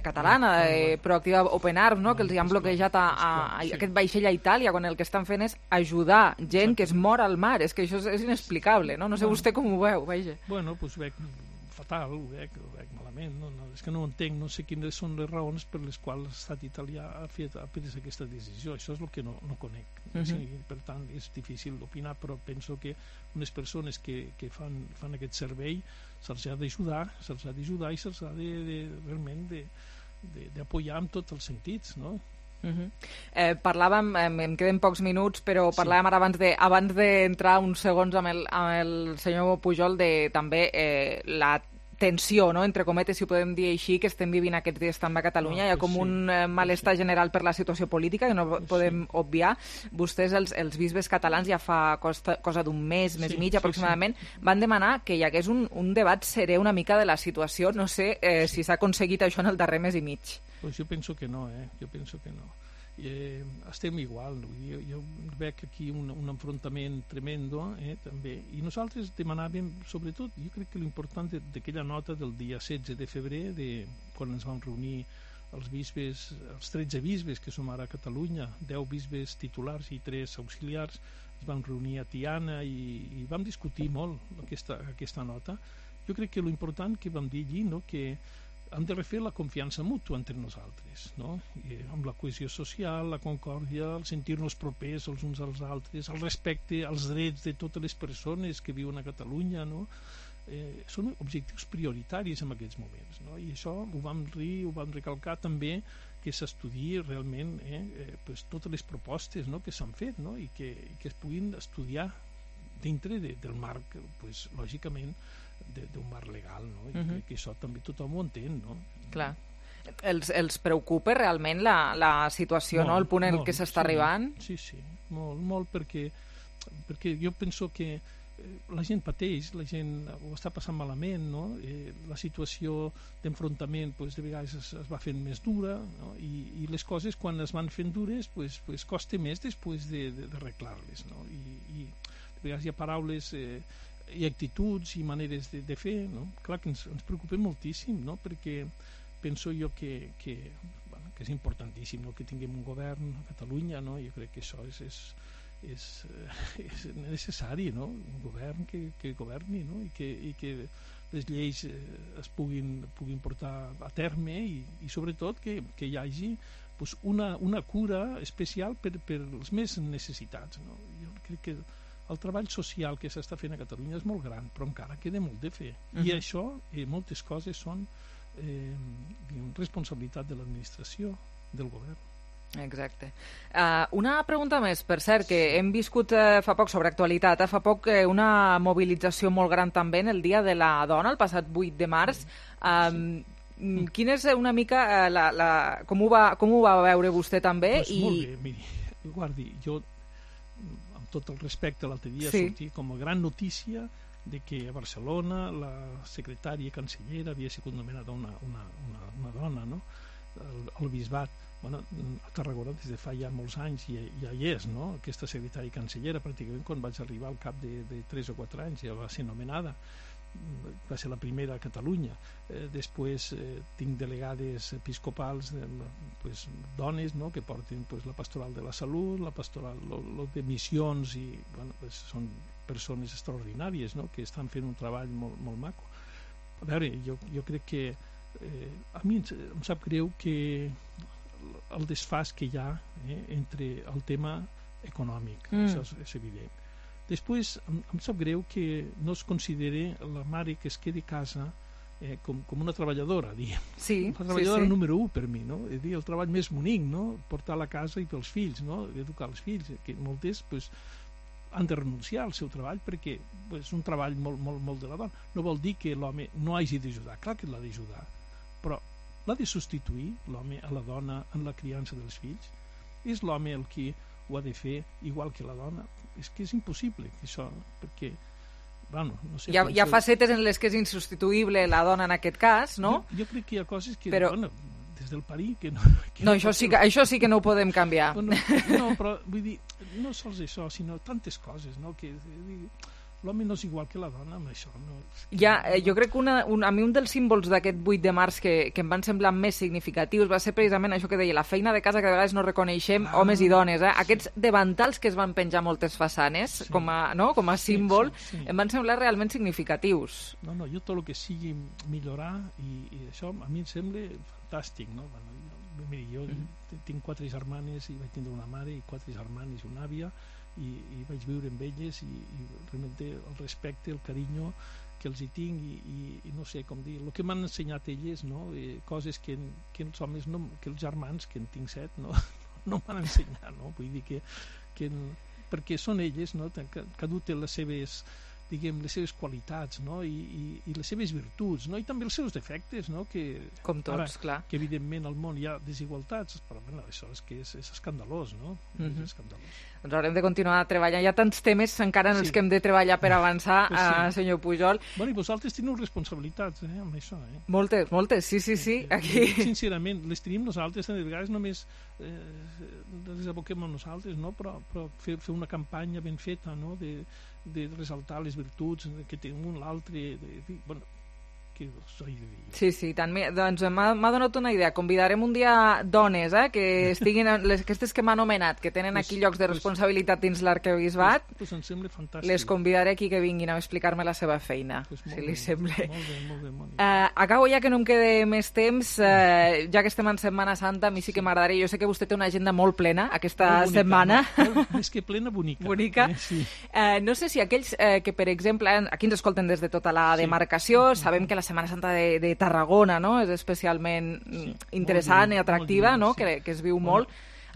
catalana, Proactiva Open Arms, que els han bloquejat aquest vaixell a Itàlia, quan el que estan fent és ajudar gent que es mor al mar. És que això és inexplicable, no? No sé vostè com ho veu, vaja. Bueno, doncs veig fatal, ho veig malament, és que no ho entenc, no sé quines són les raons per les quals l'estat italià ha pres aquesta decisió. Això és el que no conec. Per tant, és difícil d'opinar, però penso que unes persones que fan aquest servei se'ls ha d'ajudar i se'ls ha realment d'apoyar en tots els sentits, no? Parlàvem, em queden pocs minuts, però parlàvem ara abans d'entrar uns segons amb el senyor Pujol de també la tensió, entre cometes, si ho podem dir així, que estem vivint aquests dies també a Catalunya. Hi ha com un malestar general per la situació política que no podem obviar. Vostès, els bisbes catalans, ja fa cosa d'un mes i mig aproximadament, van demanar que hi hagués un debat serè una mica de la situació. No sé si s'ha aconseguit això en el darrer mes i mig. Pues jo penso que no, estem igual, jo veig aquí un enfrontament tremendo, també, i nosaltres demanàvem, sobretot, jo crec que l'important d'aquella nota del dia 16 de febrer, quan ens vam reunir els bisbes, els 13 bisbes que som ara a Catalunya, 10 bisbes titulars i 3 auxiliars, ens vam reunir a Tiana i vam discutir molt aquesta nota. Jo crec que l'important que vam dir allí, que hem de refer la confiança mútua entre nosaltres, no? I amb la cohesió social, la concòrdia, el sentir-nos propers els uns als altres, el respecte als drets de totes les persones que viuen a Catalunya, no? Són objectius prioritaris en aquests moments, no? I això ho vam recalcar també, que s'estudiï realment pues, totes les propostes, no?, que s'han fet, no? I que es puguin estudiar dintre del marc, pues, lògicament, d'un marc legal, no? I crec que això també tothom ho entén, no? Clar. Els preocupa realment la situació, no? El punt en què s'està arribant? Sí, molt, perquè jo penso que la gent pateix, la gent ho està passant malament, no? La situació d'enfrontament pues, de vegades es va fent més dura, no? I les coses quan es van fent dures pues, costa més després d'arreglar-les, no? I de vegades hi ha paraules i actituds i maneres de fer, no? Clar que ens preocupa moltíssim, no? Perquè penso jo que és importantíssim, no?, que tinguem un govern a Catalunya, no? Jo crec que això és necessari, no? Un govern que governi, no? I que les lleis es puguin portar a terme i sobretot que hi hagi pues, una cura especial per als més necessitats, no? Jo crec que el treball social que s'està fent a Catalunya és molt gran, però encara queda molt de fer. I això, moltes coses són responsabilitat de l'administració, del govern. Exacte. Una pregunta més, per cert, que hem viscut fa poc sobre actualitat, fa poc una mobilització molt gran també en el Dia de la Dona, el passat 8 de març. Quina és una mica com ho va veure vostè també? Molt bé, miri, guardi, jo amb tot el respecte l'altre dia sortia com a gran notícia de que a Barcelona la secretària cancellera havia sigut nomenada una dona, no? El bisbat. Bueno, a Tarragona des de fa ja molts anys ja hi és, no? Aquesta secretària cancellera, pràcticament quan vaig arribar al cap de 3 o 4 anys ja va ser nomenada, va ser la primera a Catalunya. Després tinc delegades episcopals, pues, dones, no?, que porten pues, la pastoral de la salut, la pastoral de missions, i bueno, pues, són persones extraordinàries, no?, que estan fent un treball molt maco. A veure, jo crec que a mi em sap greu que el desfàs que hi ha entre el tema econòmic, això és evident. Després em sap greu que no es consideri la mare que es quedi a casa com una treballadora, diguem. Sí, la treballadora número 1 per mi, no? És dir, el treball més bonic, no? Portar a la casa i pels fills, no? Educar els fills, que moltes pues, han de renunciar al seu treball perquè és un treball molt de la dona. No vol dir que l'home no hagi d'ajudar, clar que l'ha d'ajudar, però l'ha de substituir l'home a la dona en la criança dels fills? És l'home el qui ho ha de fer igual que la dona? És que és impossible això, perquè bueno, no sé, hi ha facetes en les que és insubstituïble la dona en aquest cas, no? Jo crec que hi ha coses que bueno, des del parir que no... No, això sí que no ho podem canviar. No, però vull dir, no sols això, sinó tantes coses, no? Que l'home no és igual que la dona amb això, no? Jo crec que a mi un dels símbols d'aquest 8 de març que em van semblar més significatius va ser precisament això que deia, la feina de casa que de vegades no reconeixem homes i dones, aquests davantals que es van penjar moltes façanes com a símbol, em van semblar realment significatius. No, jo tot el que sigui millorar i això a mi em sembla fantàstic, no? Miri, jo tinc 4 germanes i vaig tindre una mare i 4 germanes i una àvia i vaig viure amb elles i realment el respecte, el carinyo que els hi tinc i no sé com dir, el que m'han ensenyat elles, no? Coses que els homes, que els germans, que en tinc 7, no m'han ensenyat, no? Vull dir que perquè són elles, no? Cadascú té les seves, diguem, les seves qualitats, no? I les seves virtuts, no? I també els seus defectes, no? Com tots, clar. Que evidentment al món hi ha desigualtats, però bueno, això és escandalós, no? És escandalós. Doncs haurem de continuar treballant. Hi ha tants temes encara en els que hem de treballar per avançar, senyor Pujol. Bueno, i vosaltres teniu responsabilitats amb això, Moltes, sí. Aquí... Sincerament, les tenim nosaltres, de vegades només les aboquem a nosaltres, no? Però fer una campanya ben feta, no? De ressaltar les virtuts que té un l'altre, bueno, què us he de dir? Sí, doncs m'ha donat una idea. Convidarem un dia dones, que estiguin, aquestes que m'ha anomenat, que tenen aquí llocs de responsabilitat dins l'arquebisbat. Pues em sembla fantàstic. Les convidaré aquí que vinguin a explicar-me la seva feina, si li sembla. Molt bé. Acabo ja que no em quede més temps, ja que estem en Setmana Santa, a mi sí que m'agradaria, jo sé que vostè té una agenda molt plena aquesta setmana. Més que plena, bonica. Bonica. Sí. No sé si aquells que, per exemple, aquí ens escolten des de tota la demarcació, sabem que la Setmana Santa de Tarragona, no?, és especialment interessant i atractiva, no?, que es viu molt.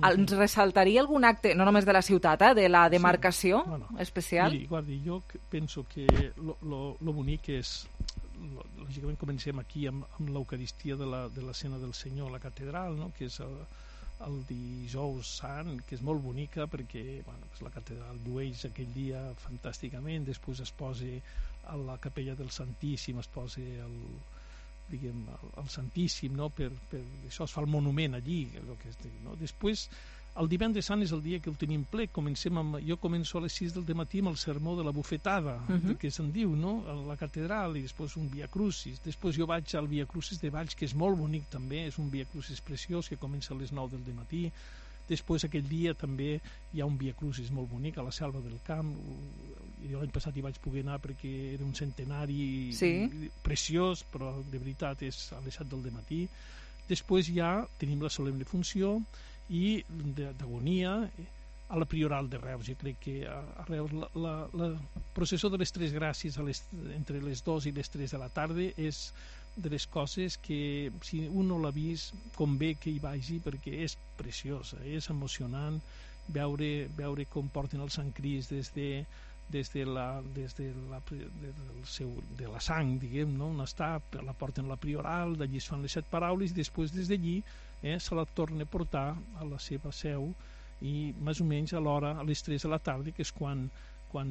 Ens ressaltaria algun acte, no només de la ciutat, de la demarcació especial? Miri, guardi, jo penso que lo bonic és, lògicament comencem aquí amb l'Eucaristia de la Cena del Senyor a la catedral, no?, que és el dijous sant, que és molt bonica perquè la catedral llueix aquell dia fantàsticament, després es posa a la capella del Santíssim, es posa el Santíssim, no? Per això es fa el monument allí, no? Després el divendres sant és el dia que ho tenim ple. Jo començo a les 6 del matí amb el sermó de la bufetada, que se'n diu, no?, a la catedral, i després un Via Crucis. Després jo vaig al Via Crucis de Valls, que és molt bonic també, és un Via Crucis preciós que comença a les 9 del matí. Després aquell dia també hi ha un Via Crucis molt bonic a la Selva del Camp. Jo l'any passat hi vaig poder anar perquè era un centenari preciós, però de veritat és a les 7 del matí. Després ja tenim la solemne funció i d'agonia a la Prioral de Reus. Jo crec que a Reus la processó de les Tres Gràcies entre les 2 i les 3 de la tarda és de les coses que si un no l'ha vist convé que hi vagi perquè és preciosa, és emocionant veure com porten el Sant Crist des de la sang, diguem, no? On està, la porten a la Prioral, d'allí es fan les 7 paraules i després des d'allí se la torna a portar a la seva seu i més o menys a l'hora, a les 3 de la tarda, que és quan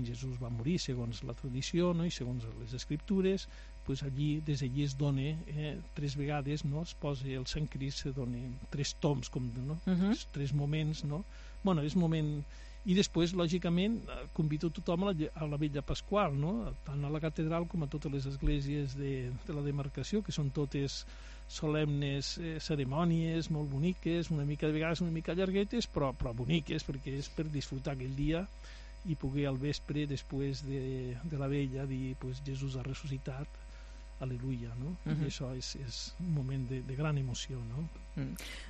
Jesús va morir, segons la tradició, no? I segons les escriptures, pues des d'allí es dona 3 vegades, no? Es posa el Sant Crist, se dona 3 toms, no? 3 moments, no? Bueno, és moment... I després, lògicament, convido tothom a la Vetlla Pasqual, no? Tant a la catedral com a totes les esglésies de la demarcació, que són totes solemnes cerimònies molt boniques, una mica de vegades una mica llarguetes, però boniques, perquè és per disfrutar aquell dia i poder al vespre, després de la vella, dir pues, Jesús ha ressuscitat, al·leluia, no? I això és un moment de gran emoció, no?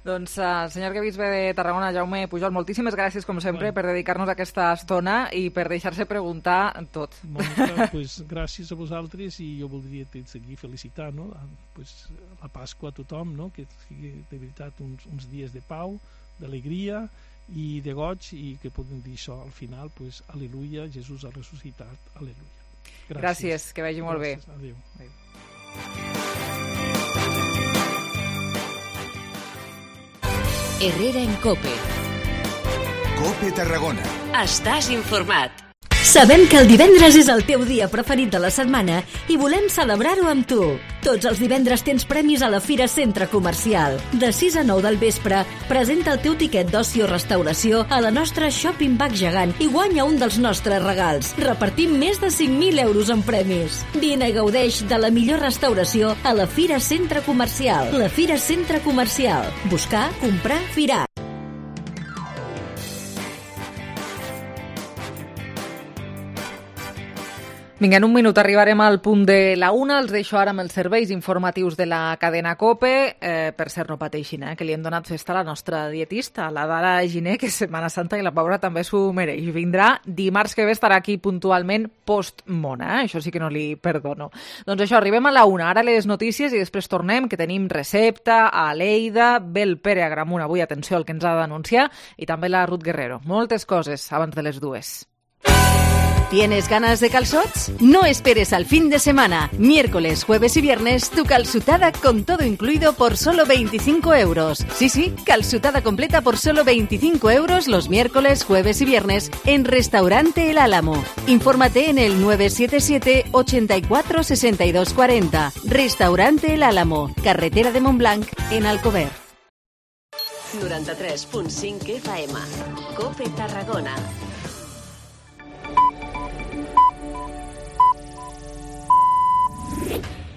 Doncs, senyor arquebisbe de Tarragona, Jaume Pujol, moltíssimes gràcies, com sempre, per dedicar-nos aquesta estona i per deixar-se preguntar tot. Mònica, pues, gràcies a vosaltres i jo voldria seguir felicitar, no? Pues, la Pasqua a tothom, no? Que sigui de veritat uns dies de pau, d'alegria i de goig i que podem dir això al final, pues, al·leluia, Jesús ha ressuscitat, al·leluia. Gràcies, que vagi molt bé. Adéu. Herrera en COPE. COPE Tarragona. Estàs informat. Sabem que el divendres és el teu dia preferit de la setmana i volem celebrar-ho amb tu. Tots els divendres tens premis a la Fira Centre Comercial. De 6 a 9 del vespre, presenta el teu tiquet d'oci o restauració a la nostra Shopping Bag gegant i guanya un dels nostres regals. Repartim més de 5.000 euros en premis. Vine i gaudeix de la millor restauració a la Fira Centre Comercial. La Fira Centre Comercial. Buscar, comprar, firar. Vinga, en un minut arribarem al punt de la 1. Els deixo ara amb els serveis informatius de la cadena COPE. Per cert, no pateixin, que li hem donat festa a la nostra dietista, la Dara Giner, que és Setmana Santa i la pobra també s'ho mereix. Vindrà dimarts que ve, estarà aquí puntualment post-mona, això sí que no li perdono. Doncs això, arribem a la 1. Ara les notícies i després tornem, que tenim recepta, a Lleida, ve el Pere Agramunt avui, atenció al que ens ha d'anunciar, i també la Ruth Guerrero. Moltes coses abans de les 2. ¿Tienes ganas de calzots? No esperes al fin de semana. Miércoles, jueves y viernes, tu calzutada con todo incluido por solo 25 euros. Sí, calzutada completa por solo 25 euros los miércoles, jueves y viernes en Restaurante El Álamo. Infórmate en el 977 84 62 40. Restaurante El Álamo, carretera de Montblanc, en Alcover. 93.5 FM. COPE Tarragona.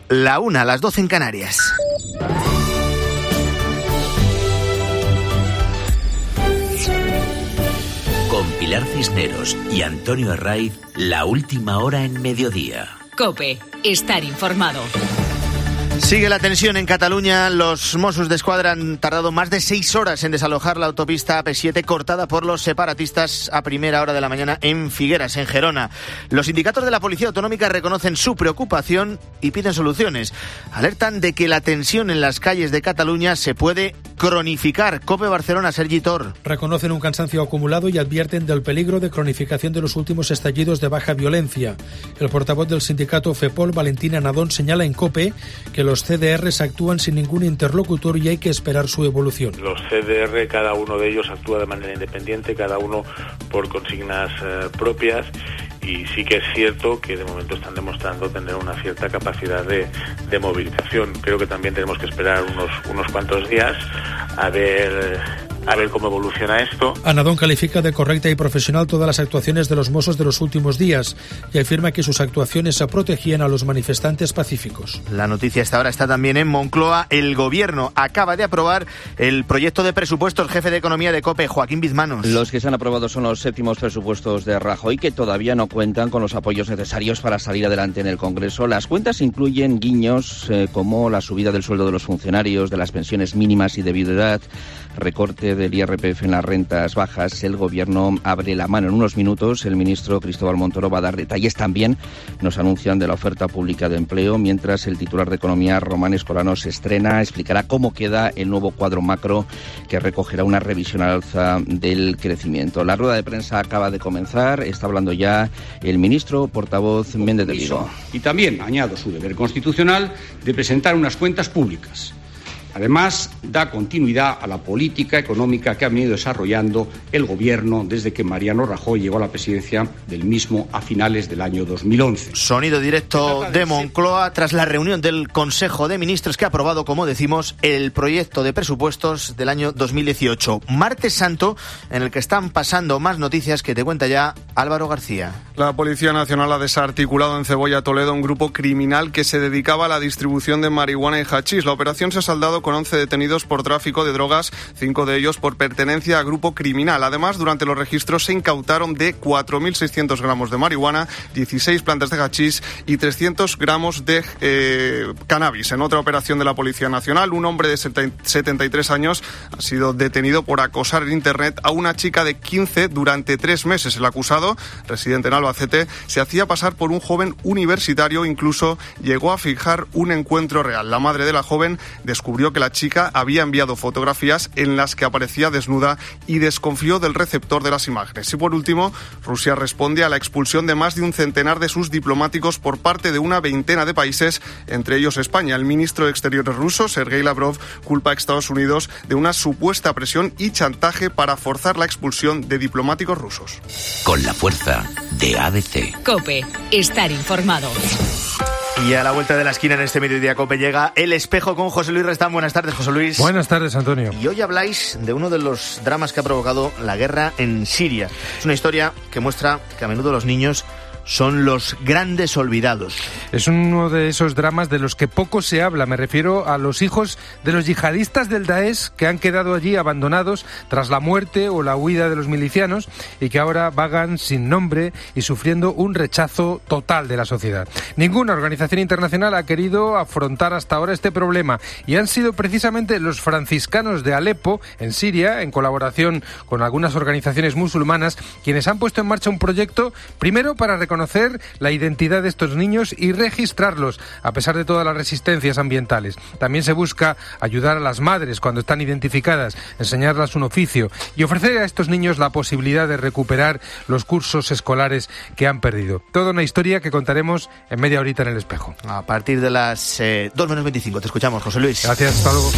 la 1, las 12 en Canarias. Con Pilar Cisneros y Antonio Herraiz, la última hora en mediodía. COPE, estar informado. Sigue la tensión en Cataluña. Los Mossos d'Esquadra han tardado más de 6 horas en desalojar la autopista AP7 cortada por los separatistas a primera hora de la mañana en Figueras, en Gerona. Los sindicatos de la Policía Autonómica reconocen su preocupación y piden soluciones. Alertan de que la tensión en las calles de Cataluña se puede cronificar. COPE Barcelona, Sergi Tor. Reconocen un cansancio acumulado y advierten del peligro de cronificación de los últimos estallidos de baja violencia. El portavoz del sindicato FEPOL, Valentina Nadón, señala en COPE que los CDRs actúan sin ningún interlocutor y hay que esperar su evolución. Los CDR, cada uno de ellos actúa de manera independiente, cada uno por consignas propias, y sí que es cierto que de momento están demostrando tener una cierta capacidad de movilización. Creo que también tenemos que esperar unos cuantos días a ver cómo evoluciona esto. Anadón califica de correcta y profesional todas las actuaciones de los Mossos de los últimos días y afirma que sus actuaciones protegían a los manifestantes pacíficos. La noticia hasta ahora está también en Moncloa. El Gobierno acaba de aprobar el proyecto de presupuestos. Jefe de Economía de COPE, Joaquín Bizmanos. Los que se han aprobado son los 7º presupuestos de Rajoy, que todavía no cuentan con los apoyos necesarios para salir adelante en el Congreso. Las cuentas incluyen guiños como la subida del sueldo de los funcionarios, de las pensiones mínimas y de viudedad, recorte del IRPF en las rentas bajas. El Gobierno abre la mano en unos minutos. El ministro Cristóbal Montoro va a dar detalles también. Nos anuncian de la oferta pública de empleo, mientras el titular de Economía, Román Escolano, se estrena. Explicará cómo queda el nuevo cuadro macro que recogerá una revisión al alza del crecimiento. La rueda de prensa acaba de comenzar. Está hablando ya el ministro portavoz Méndez de Vigo. Y también añado su deber constitucional de presentar unas cuentas públicas. Además, da continuidad a la política económica que ha venido desarrollando el Gobierno desde que Mariano Rajoy llegó a la presidencia del mismo a finales del año 2011. Sonido directo de Moncloa tras la reunión del Consejo de Ministros que ha aprobado, como decimos, el proyecto de presupuestos del año 2018. Martes Santo, en el que están pasando más noticias que te cuenta ya Álvaro García. La Policía Nacional ha desarticulado en Cebolla, Toledo, un grupo criminal que se dedicaba a la distribución de marihuana y hachís. La operación se ha saldado con 11 detenidos por tráfico de drogas, 5 de ellos por pertenencia a grupo criminal. Además, durante los registros se incautaron de 4.600 gramos de marihuana, 16 plantas de hachís y 300 gramos de cannabis. En otra operación de la Policía Nacional, un hombre de 73 años ha sido detenido por acosar en Internet a una chica de 15 durante 3 meses. El acusado, residente en Albacete, se hacía pasar por un joven universitario, incluso llegó a fijar un encuentro real. La madre de la joven descubrió que la chica había enviado fotografías en las que aparecía desnuda y desconfió del receptor de las imágenes. Y por último, Rusia responde a la expulsión de más de un centenar de sus diplomáticos por parte de una veintena de países, entre ellos España. El ministro de Exteriores ruso, Sergei Lavrov, culpa a Estados Unidos de una supuesta presión y chantaje para forzar la expulsión de diplomáticos rusos. Con la fuerza de ADC. COPE, estar informado. Y a la vuelta de la esquina en este mediodía COPE llega El Espejo con José Luis Restán. Buenas tardes, José Luis. Buenas tardes, Antonio. Y hoy habláis de uno de los dramas que ha provocado la guerra en Siria. Es una historia que muestra que a menudo los niños son los grandes olvidados. Es uno de esos dramas de los que poco se habla. Me refiero a los hijos de los yihadistas del Daesh que han quedado allí abandonados tras la muerte o la huida de los milicianos y que ahora vagan sin nombre y sufriendo un rechazo total de la sociedad. Ninguna organización internacional ha querido afrontar hasta ahora este problema y han sido precisamente los franciscanos de Alepo, en Siria, en colaboración con algunas organizaciones musulmanas, quienes han puesto en marcha un proyecto, primero para reconocer la identidad de estos niños y registrarlos, a pesar de todas las resistencias ambientales. También se busca ayudar a las madres cuando están identificadas, enseñarlas un oficio y ofrecer a estos niños la posibilidad de recuperar los cursos escolares que han perdido. Toda una historia que contaremos en media horita en El Espejo. A partir de las 2:25 te escuchamos, José Luis. Gracias, hasta luego.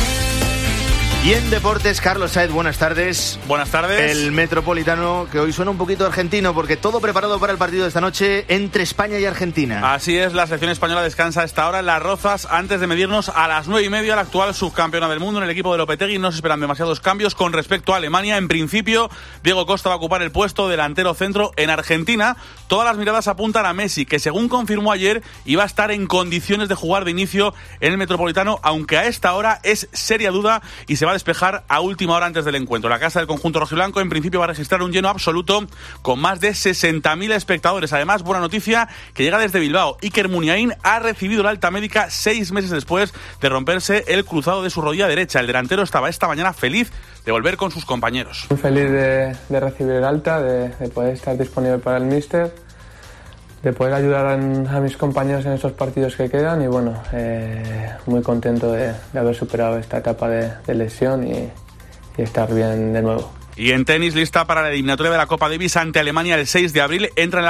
Y en deportes, Carlos Saez, buenas tardes. Buenas tardes. El Metropolitano, que hoy suena un poquito argentino, porque todo preparado para el partido de esta noche entre España y Argentina. Así es, la selección española descansa a esta hora en Las Rozas antes de medirnos a las 9:30 la actual subcampeona del mundo en el equipo de Lopetegui. No se esperan demasiados cambios con respecto a Alemania. En principio, Diego Costa va a ocupar el puesto delantero centro en Argentina. Todas las miradas apuntan a Messi, que según confirmó ayer, iba a estar en condiciones de jugar de inicio en el Metropolitano, aunque a esta hora es seria duda y se va a despejar a última hora antes del encuentro. La casa del conjunto rojiblanco en principio va a registrar un lleno absoluto con más de 60.000 espectadores. Además, buena noticia que llega desde Bilbao. Iker Muniain ha recibido la alta médica 6 meses después de romperse el cruzado de su rodilla derecha. El delantero estaba esta mañana feliz de volver con sus compañeros. Muy feliz de recibir el alta, de poder estar disponible para el míster, de poder ayudar a mis compañeros en estos partidos que quedan y bueno, muy contento de haber superado esta etapa de lesión y estar bien de nuevo. Y en tenis, lista para la eliminatoria de la Copa Davis ante Alemania el 6 de abril, entran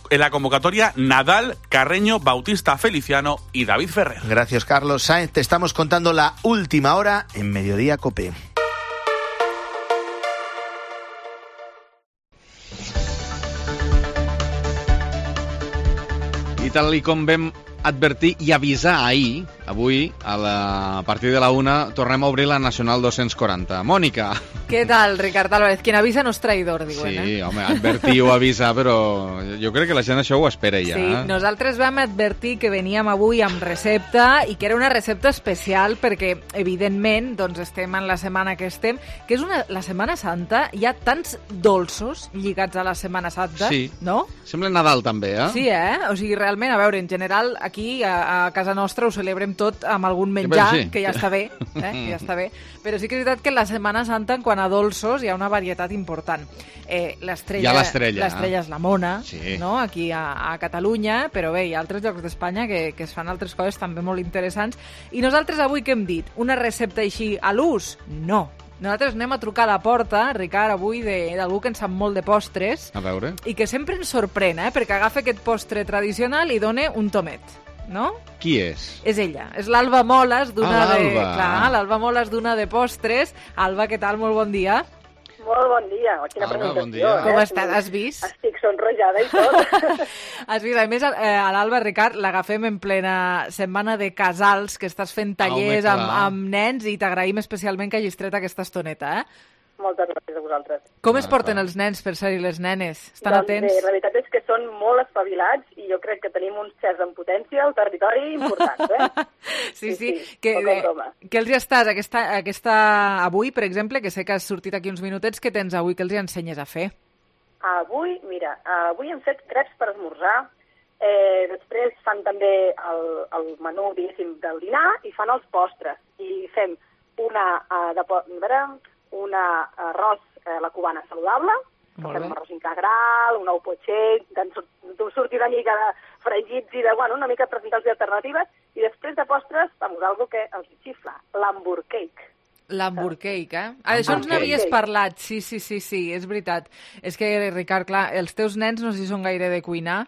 en la convocatoria Nadal, Carreño, Bautista Feliciano y David Ferrer. Gracias, Carlos Saez. Te estamos contando la última hora en Mediodía COPE. I tal com vam advertir i avisar ahir, avui, a partir de la 1, tornem a obrir la Nacional 240. Mònica. Què tal, Ricard Álvarez? Quien avisa no és traïdor, diuen, Sí, home, advertir o avisar, però jo crec que la gent això ho espera ja. Sí, nosaltres vam advertir que veníem avui amb recepta i que era una recepta especial perquè, evidentment, doncs estem en la setmana que estem, que és la Setmana Santa, hi ha tants dolços lligats a la Setmana Santa, sí. No? Sembla Nadal també, Sí, O sigui, realment, a veure, en general, aquí a casa nostra ho celebrem tot amb algun menjar, sí. que ja està bé, que ja està bé, però sí que és veritat que en la Setmana Santa, en quant a dolços, hi ha una varietat important. Hi ha l'estrella. L'estrella és la mona, sí. No? Aquí a Catalunya, però bé, hi ha altres llocs d'Espanya que es fan altres coses també molt interessants. I nosaltres avui què hem dit? Una recepta així a l'ús? No. Nosaltres anem a trucar a la porta, Ricard, avui, d'algú que en sap molt de postres. A veure. I que sempre ens sorprèn, perquè agafa aquest postre tradicional i dona un tomet, no? Qui és? És ella, és l'Alba Moles d'una l'Alba. d'una de postres. Alba, què tal? Molt bon dia. Molt bon dia. Quina presentació. Bon dia. Com estàs? Has vist? Estic sonrojada i tot. Has vist? A més, a l'Alba, Ricard, l'agafem en plena setmana de casals, que estàs fent tallers amb nens i t'agraïm especialment que hagis tret aquesta estoneta, Moltes gràcies a vosaltres. Com es porten els nens, per ser-hi les nenes? Estan atents? Bé, la veritat és que són molt espavilats i jo crec que tenim uns xers en potència al territori importants, Sí. Que els hi estàs avui, per exemple, que sé que has sortit aquí uns minutets, que tens avui, que els hi ensenyes a fer? Avui hem fet creps per esmorzar, després fan també el menú, diguéssim, del dinar i fan els postres. I fem un arròs a la cubana saludable, fem un arròs integral, un ou potxer, sortir una mica de fregits i una mica presentar-los alternatives, i després de postres, algo que els xifla, l'Hamburg cake. L'Hamburg cake, Això ens n'havies parlat, sí, és veritat. És que, Ricard, clar, els teus nens no sé si són gaire de cuinar.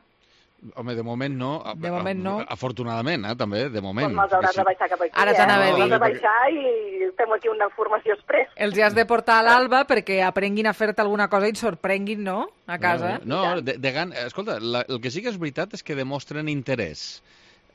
Home, de moment no. De moment no. Afortunadament, també, de moment. Doncs me'ls hauràs de baixar cap aquí. Ara t'anava a dir. Me'ls de baixar i fem aquí una formació express. Els hi has de portar a l'Alba perquè aprenguin a fer-te alguna cosa i et sorprenguin, no?, a casa. No, escolta, el que sí que és veritat és que demostren interès.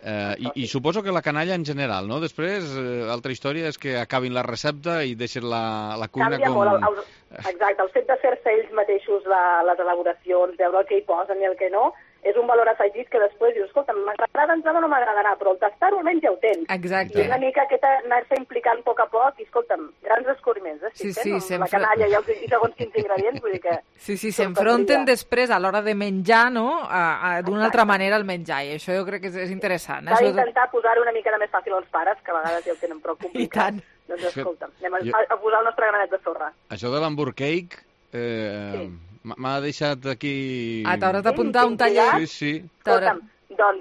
I suposo que la canalla en general, no? Després, l'altra història és que acabin la recepta i deixen la cuina Canvia molt. Exacte, el fet de fer-se ells mateixos les elaboracions, veure el que hi posen i el que no, és un valor afegit que després dius, escolta, m'agrada o no m'agradarà, però el tastar-ho almenys ja ho tens. Exacte. I és una mica anar-se implicant a poc a poc, i escolta'm, grans descobriments, la canalla i segons quins ingredients, vull dir que... Sí, s'enfronten després a l'hora de menjar, no?, d'una altra manera el menjar, i això jo crec que és interessant. S'ha d'intentar posar-ho una mica de més fàcil als pares, que a vegades ja ho tenen prou complicat. I tant. Doncs escolta'm, anem a posar el nostre granet de sorra. Això de l'Hamburg cake... m'ha deixat aquí... T'hauràs d'apuntar un taller? Sí. Escolta'm, doncs,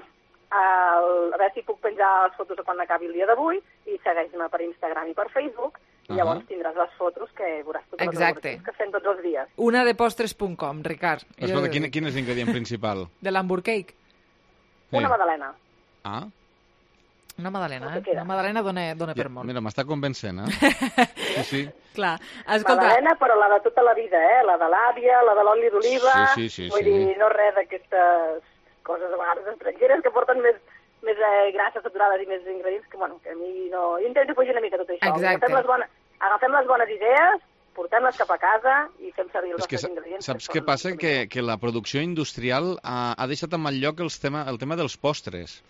a veure si puc penjar les fotos de quan acabi el dia d'avui i segueix-me per Instagram i per Facebook i llavors tindràs les fotos que veuràs totes les elaboracions que fem tots els dies. Unadepostres.com, Ricard. Escolta, quin és l'ingredient principal? De l'Hamburg cake? Una magdalena. Una magdalena, Una magdalena dona per molt. Mira, m'està convencent, Sí. Clar. Escolta... Magdalena, però la de tota la vida, la de l'àvia, la de l'oli d'oliva... Sí. Vull dir, no res d'aquestes coses a vegades estrangeres que porten més grasses saturades i més ingredients que, bueno, que a mi no... Jo intento fugir una mica tot això. Exacte. Agafem les bones idees, portem-les cap a casa i fem servir els nostres ingredients. Saps què passa? Que la producció industrial ha deixat en mal lloc el tema dels postres.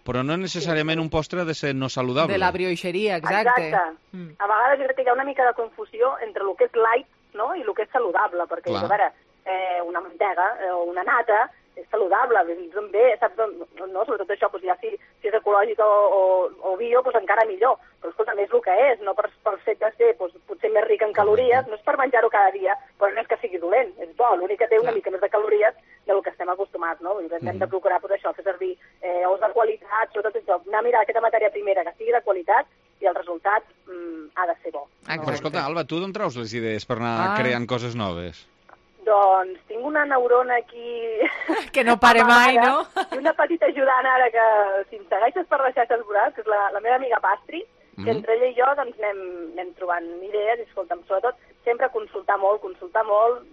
Però no necessàriament un postre ha de ser no saludable. De la brioixeria, exacte. A vegades jo crec que hi ha una mica de confusió entre el que és light, no?, i el que és saludable, perquè, a veure, una mantega o una nata és saludable, bé, saps? No, sobretot això, ja si és ecològic o bio, doncs encara millor. Però, escolta, és el que és, no pel fet de ser potser més ric en calories, no és per menjar-ho cada dia, però no és que sigui dolent, és bo, l'únic que té una mica més de calories del que estem acostumats, no? Hem de procurar fer servir ous de qualitat, sobretot això, anar a mirar aquesta matèria primera que sigui de qualitat i el resultat ha de ser bo. Però escolta, Alba, tu d'on traus les idees per anar creant coses noves? Doncs tinc una neurona aquí... Que no pare mai, no? I una petita ajudant ara que, si em segueixes per les xarxes socials, que és la meva amiga Pastri, que entre ella i jo doncs, anem trobant idees i, escolta'm, sobretot, sempre consultar molt,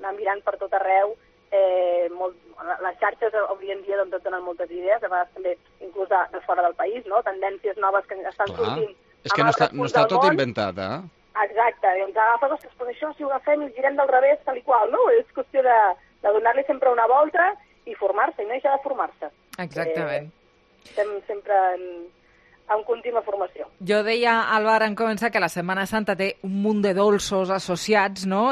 anar mirant per tot arreu. Les xarxes avui en dia doncs, et donen moltes idees, a vegades també inclús de fora del país, no? Tendències noves que estan sortint. És que no està tot inventat, Exacte, i ens agafes, ostres, però això si ho agafem i girem del revés, tal i qual, no? És qüestió de donar-li sempre una volta i formar-se, i no deixar de formar-se. Exactament. Estem sempre en contínua formació. Jo deia, Alba, en començar que la Setmana Santa té un munt de dolços associats, no?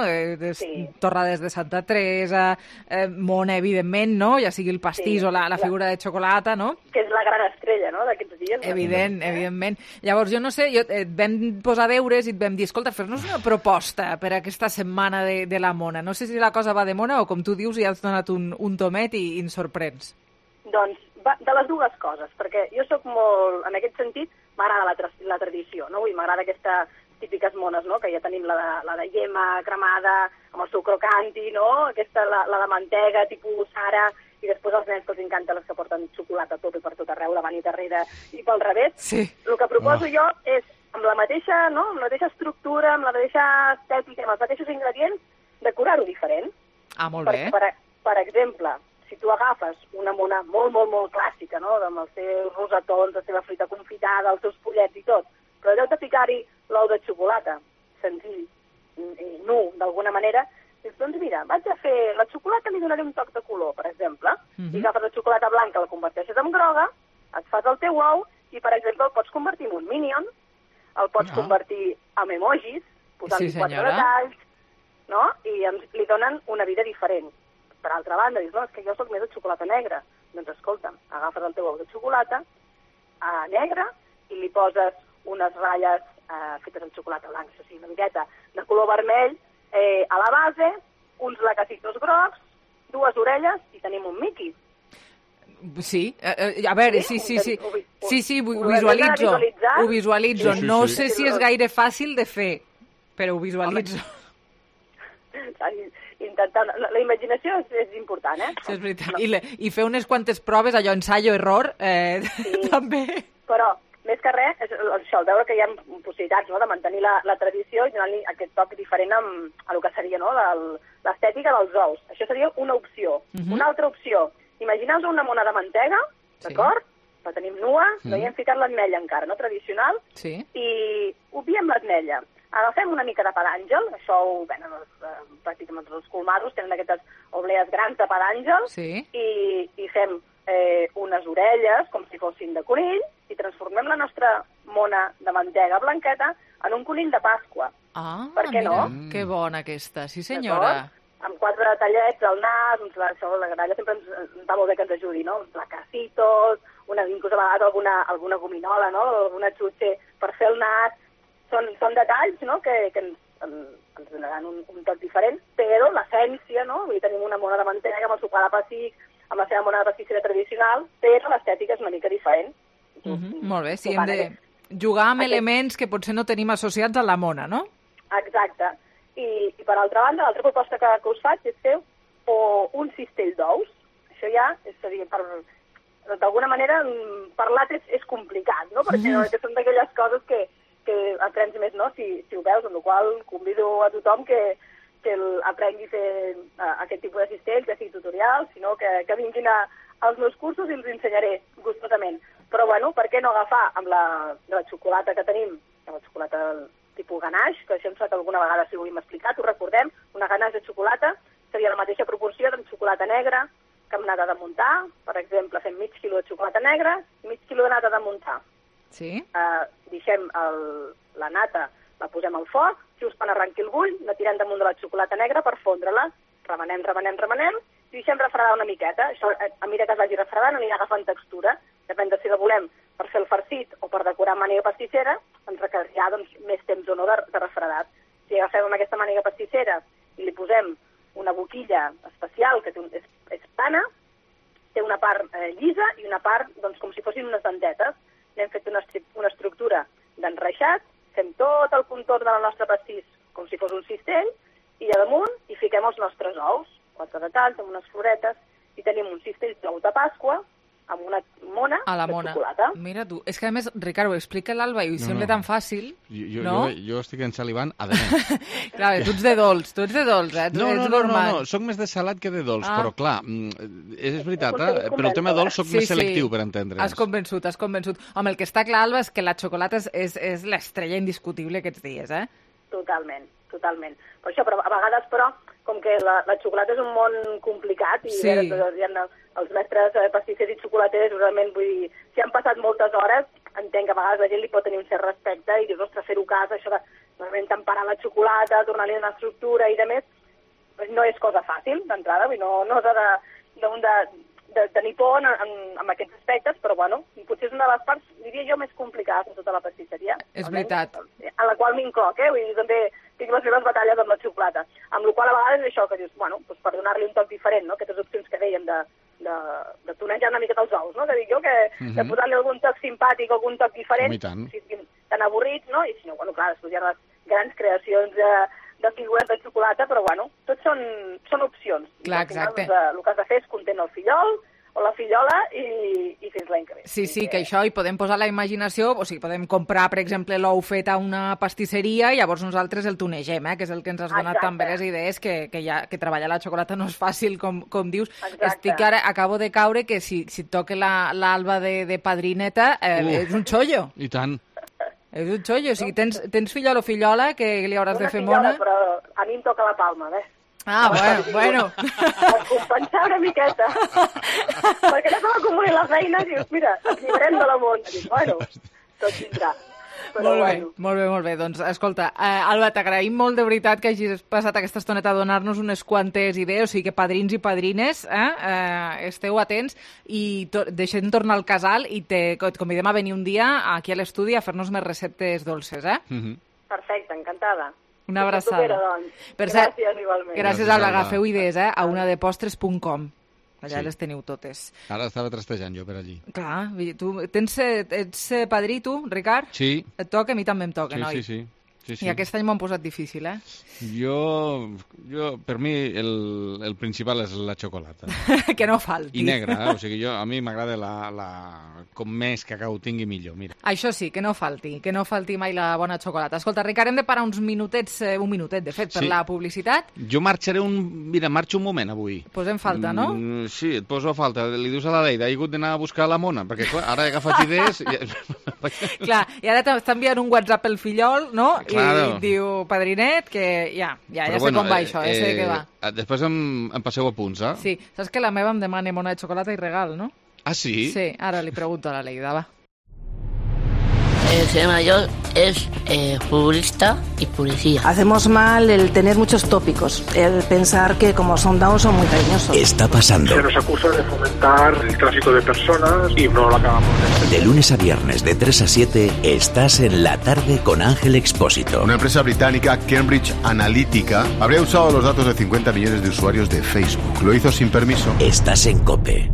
Torrades de Santa Teresa, mona, evidentment, no? Ja sigui el pastís o la figura de xocolata, no? Que és la gran estrella, no?, d'aquests dies. Evidentment. Llavors, jo no sé, et vam posar deures i et vam dir, escolta, fes-nos una proposta per a aquesta setmana de la mona. No sé si la cosa va de mona o, com tu dius, ja has donat un tomet i ens sorprens. Doncs de les dues coses, perquè jo sóc molt, en aquest sentit, m'agrada la tradició, no? M'agrada aquestes típiques mones, no?, que ja tenim la de llema cremada, amb el seu crocanti, no?, aquesta, la de mantega, tipus Sara, i després els nens que els encanta les que porten xocolata a tope per tot arreu, davant i darrere, i pel revés. Sí. El que proposo jo és, amb la mateixa estructura, amb la mateixa estètica, amb els mateixos ingredients, decorar-ho diferent. Molt bé. Per exemple, si tu agafes una mona molt, molt, molt clàssica, no?, amb els seus rosetons, la seva fruita confitada, els seus pollets i tot, però en lloc de ficar-hi l'ou de xocolata, senzill i nu, d'alguna manera, doncs mira, vaig a fer la xocolata, li donaré un toc de color, per exemple, i agafes la xocolata blanca, la converteixes en groga, et fas el teu ou i, per exemple, el pots convertir en un minion, el pots convertir en emojis, posant-li 4 detalls, no?, i li donen una vida diferent. Per altra banda, dius, no, és que jo soc més de xocolata negra. Doncs escolta'm, agafes el teu ou de xocolata negra i li poses unes ratlles fetes amb xocolata blanca, o sigui, una miqueta de color vermell a la base, uns lacacitos grocs, 2 orelles i tenim un Mickey. Sí, a veure, sí, ho visualitzo. No sé si és gaire fàcil de fer, però ho visualitzo. Intentar... La imaginació és important, Sí, és veritat. I fer unes quantes proves, allò ensaio-error, també. Però, més que res, això, el veure que hi ha possibilitats, no?, de mantenir la tradició i donar-li aquest toc diferent a el que seria, no?, l'estètica dels ous. Això seria una opció. Una altra opció, imagineu-vos una mona de mantega, d'acord? La tenim nua, no hi hem ficat l'ametlla encara, no?, tradicional, i obviem l'ametlla. Agafem una mica de pa d'àngel, això ho venen pràcticament els colmados, tenen aquestes oblees grans de pa d'àngel, i fem unes orelles, com si fossin de conill, i transformem la nostra mona de mantega blanqueta en un conill de Pasqua. Per què no? Que bona aquesta, sí senyora. Amb 4 tallets al nas, la gralla sempre ens va molt bé que ens ajudi, no? Uns lacacitos, inclús a vegades alguna gominola, no? Alguna xutxe per fer el nas. Són detalls, no?, que ens donaran un toc diferent, però l'essència, no?, vull dir, tenim una mona de mantega amb el sopar de pessic, amb la seva mona de pastisseria tradicional, però l'estètica és una mica diferent. Molt bé, sí, hem de jugar amb elements que potser no tenim associats a la mona, no? Exacte. I per altra banda, l'altra proposta que us faig és fer un cistell d'ous. Això ja seria per d'alguna manera, parlar és complicat, no? Perquè són d'aquelles coses que aprens més, no? Si ho veus, amb la qual convido a tothom que aprengui a fer aquest tipus d'assistents, ja sigui tutorials, sinó que vinguin als meus cursos i els ensenyaré gustosament. Però, bueno, per què no agafar amb la xocolata que tenim, la xocolata tipus ganache, que això em sembla que alguna vegada si ho hem explicat, ho recordem, una ganache de xocolata seria la mateixa proporció de xocolata negra que amb nata de muntar. Per exemple, fem mig quilo de xocolata negra i mig quilo de nata de muntar. Sí. Deixem la nata, la posem al foc, just quan arrenqui el bull, la tirem damunt de la xocolata negra per fondre-la, remenem, i deixem refredar una miqueta. Això, a mesura que es vagi refredant, anirà agafant textura. Depèn de si la volem per fer el farcit o per decorar amb màniga pastissera, ens requerirà més temps o no de refredat. Si agafem amb aquesta màniga pastissera i li posem una boquilla especial, que és plana, té una part llisa i una part com si fossin unes dentetes. N'hem fet una estructura d'enreixat, fem tot el contorn del nostre pastís com si fos un cistell, i a damunt hi fiquem els nostres ous, 4 detalls amb unes floretes, i tenim un cistell d'ou de Pasqua amb una mona de xocolata. Mira tu, és que a més, Ricard, ho explica l'Alba i ho sembla tan fàcil, no? Jo estic ensalivant además. Clar, tu ets de dolç, No, soc més de salat que de dolç, però clar, és veritat, però el tema dolç soc més selectiu per entendre'ns. Has convençut. Home, el que està clar, Alba, és que la xocolata és l'estrella indiscutible aquests dies, eh? Totalment. Per això, però a vegades, com que la xocolata és un món complicat i els mestres pastissers i xocolaters, realment, vull dir, si han passat moltes hores, entenc que a vegades la gent li pot tenir un cert respecte i dius, ostres, fer-ho a casa, això de realment temperar la xocolata, tornar-li una estructura i de més, no és cosa fàcil, d'entrada, no s'ha de tenir por en aquests aspectes, però bueno, potser és una de les parts, diria jo, més complicades de tota la pastisseria. És veritat. En la qual m'incloc, vull dir, també tinc les meves batalles amb la xocolata, amb la qual a vegades és això que dius, bueno, doncs per donar-li un toc diferent, no?, aquestes opcions que dèiem de tonejar una mica els ous, no?, que dic jo, de posar-li algun toc simpàtic, algun toc diferent, si estiguin tan avorrits, no?, i si no, bueno, clar, després hi ha les grans creacions de figures de xocolata, però bueno, tot són opcions. Clar, exacte. El que has de fer és content el fillol o la fillola i fins l'any que ve. Sí, que això hi podem posar la imaginació, o sigui, podem comprar, per exemple, l'ou fet a una pastisseria i llavors nosaltres el tunegem, que és el que ens has donat també les idees, que treballar la xocolata no és fàcil, com dius. Estic ara, acabo de caure que si et toca l'Alba de padrineta, és un xollo. I tant. És un xollo, o sigui, tens fillol o fillola que li hauràs de fer mona. Una fillola, però a mi em toca la palma, Ah, bueno. Per compensar una miqueta. Perquè ja se m'acumuli la feina i dius, mira, ens llibrem de la món. Dius, bueno, tot vindrà. Molt bé. Doncs, escolta, Alba, t'agraïm molt de veritat que hagis passat aquesta estoneta a donar-nos unes quantes idees, o sigui que padrins i padrines, esteu atents i deixem tornar al casal i et convidem a venir un dia aquí a l'estudi a fer-nos més receptes dolces, Perfecte, encantada. Una abraçada. Gràcies, igualment. Gràcies, Alba. Agafeu idees, a unadepostres.com. Allà les teniu totes. Ara estava trastejant jo per allí. Clar, tu ets padrí, tu, Ricard? Sí. Et toca? A mi també em toca, noi? Sí. I aquest any m'ho han posat difícil, Jo, per mi, el principal és la xocolata. Que no falti. I negra, o sigui, a mi m'agrada com més cacau tingui millor, mira. Això sí, que no falti mai la bona xocolata. Escolta, Ricard, hem de parar uns minutets, un minutet, de fet, per la publicitat. Jo marxo un moment avui. Posem falta, no? Sí, et poso a falta. Li dius a la Leida, he hagut d'anar a buscar la mona, perquè clar, ara he agafat idees... Clar, i ara t'està enviant un WhatsApp el fillol, no? Claro. I diu, padrinet, que ja sé com va això, sé de què va. Després em passeu a punts, Sí, saps que la meva em demana mona de xocolata i regal, no? Ah, sí? Sí, ara li pregunto a la Leida, va. El ser mayor es futbolista y policía. Hacemos mal el tener muchos tópicos, el pensar que como son down son muy cariñosos. Está pasando. Se nos acusa de fomentar el tráfico de personas y no lo acabamos de entender. De lunes a viernes de 3 a 7 estás en La Tarde con Ángel Expósito. Una empresa británica, Cambridge Analytica, habría usado los datos de 50 millones de usuarios de Facebook. Lo hizo sin permiso. Estás en COPE.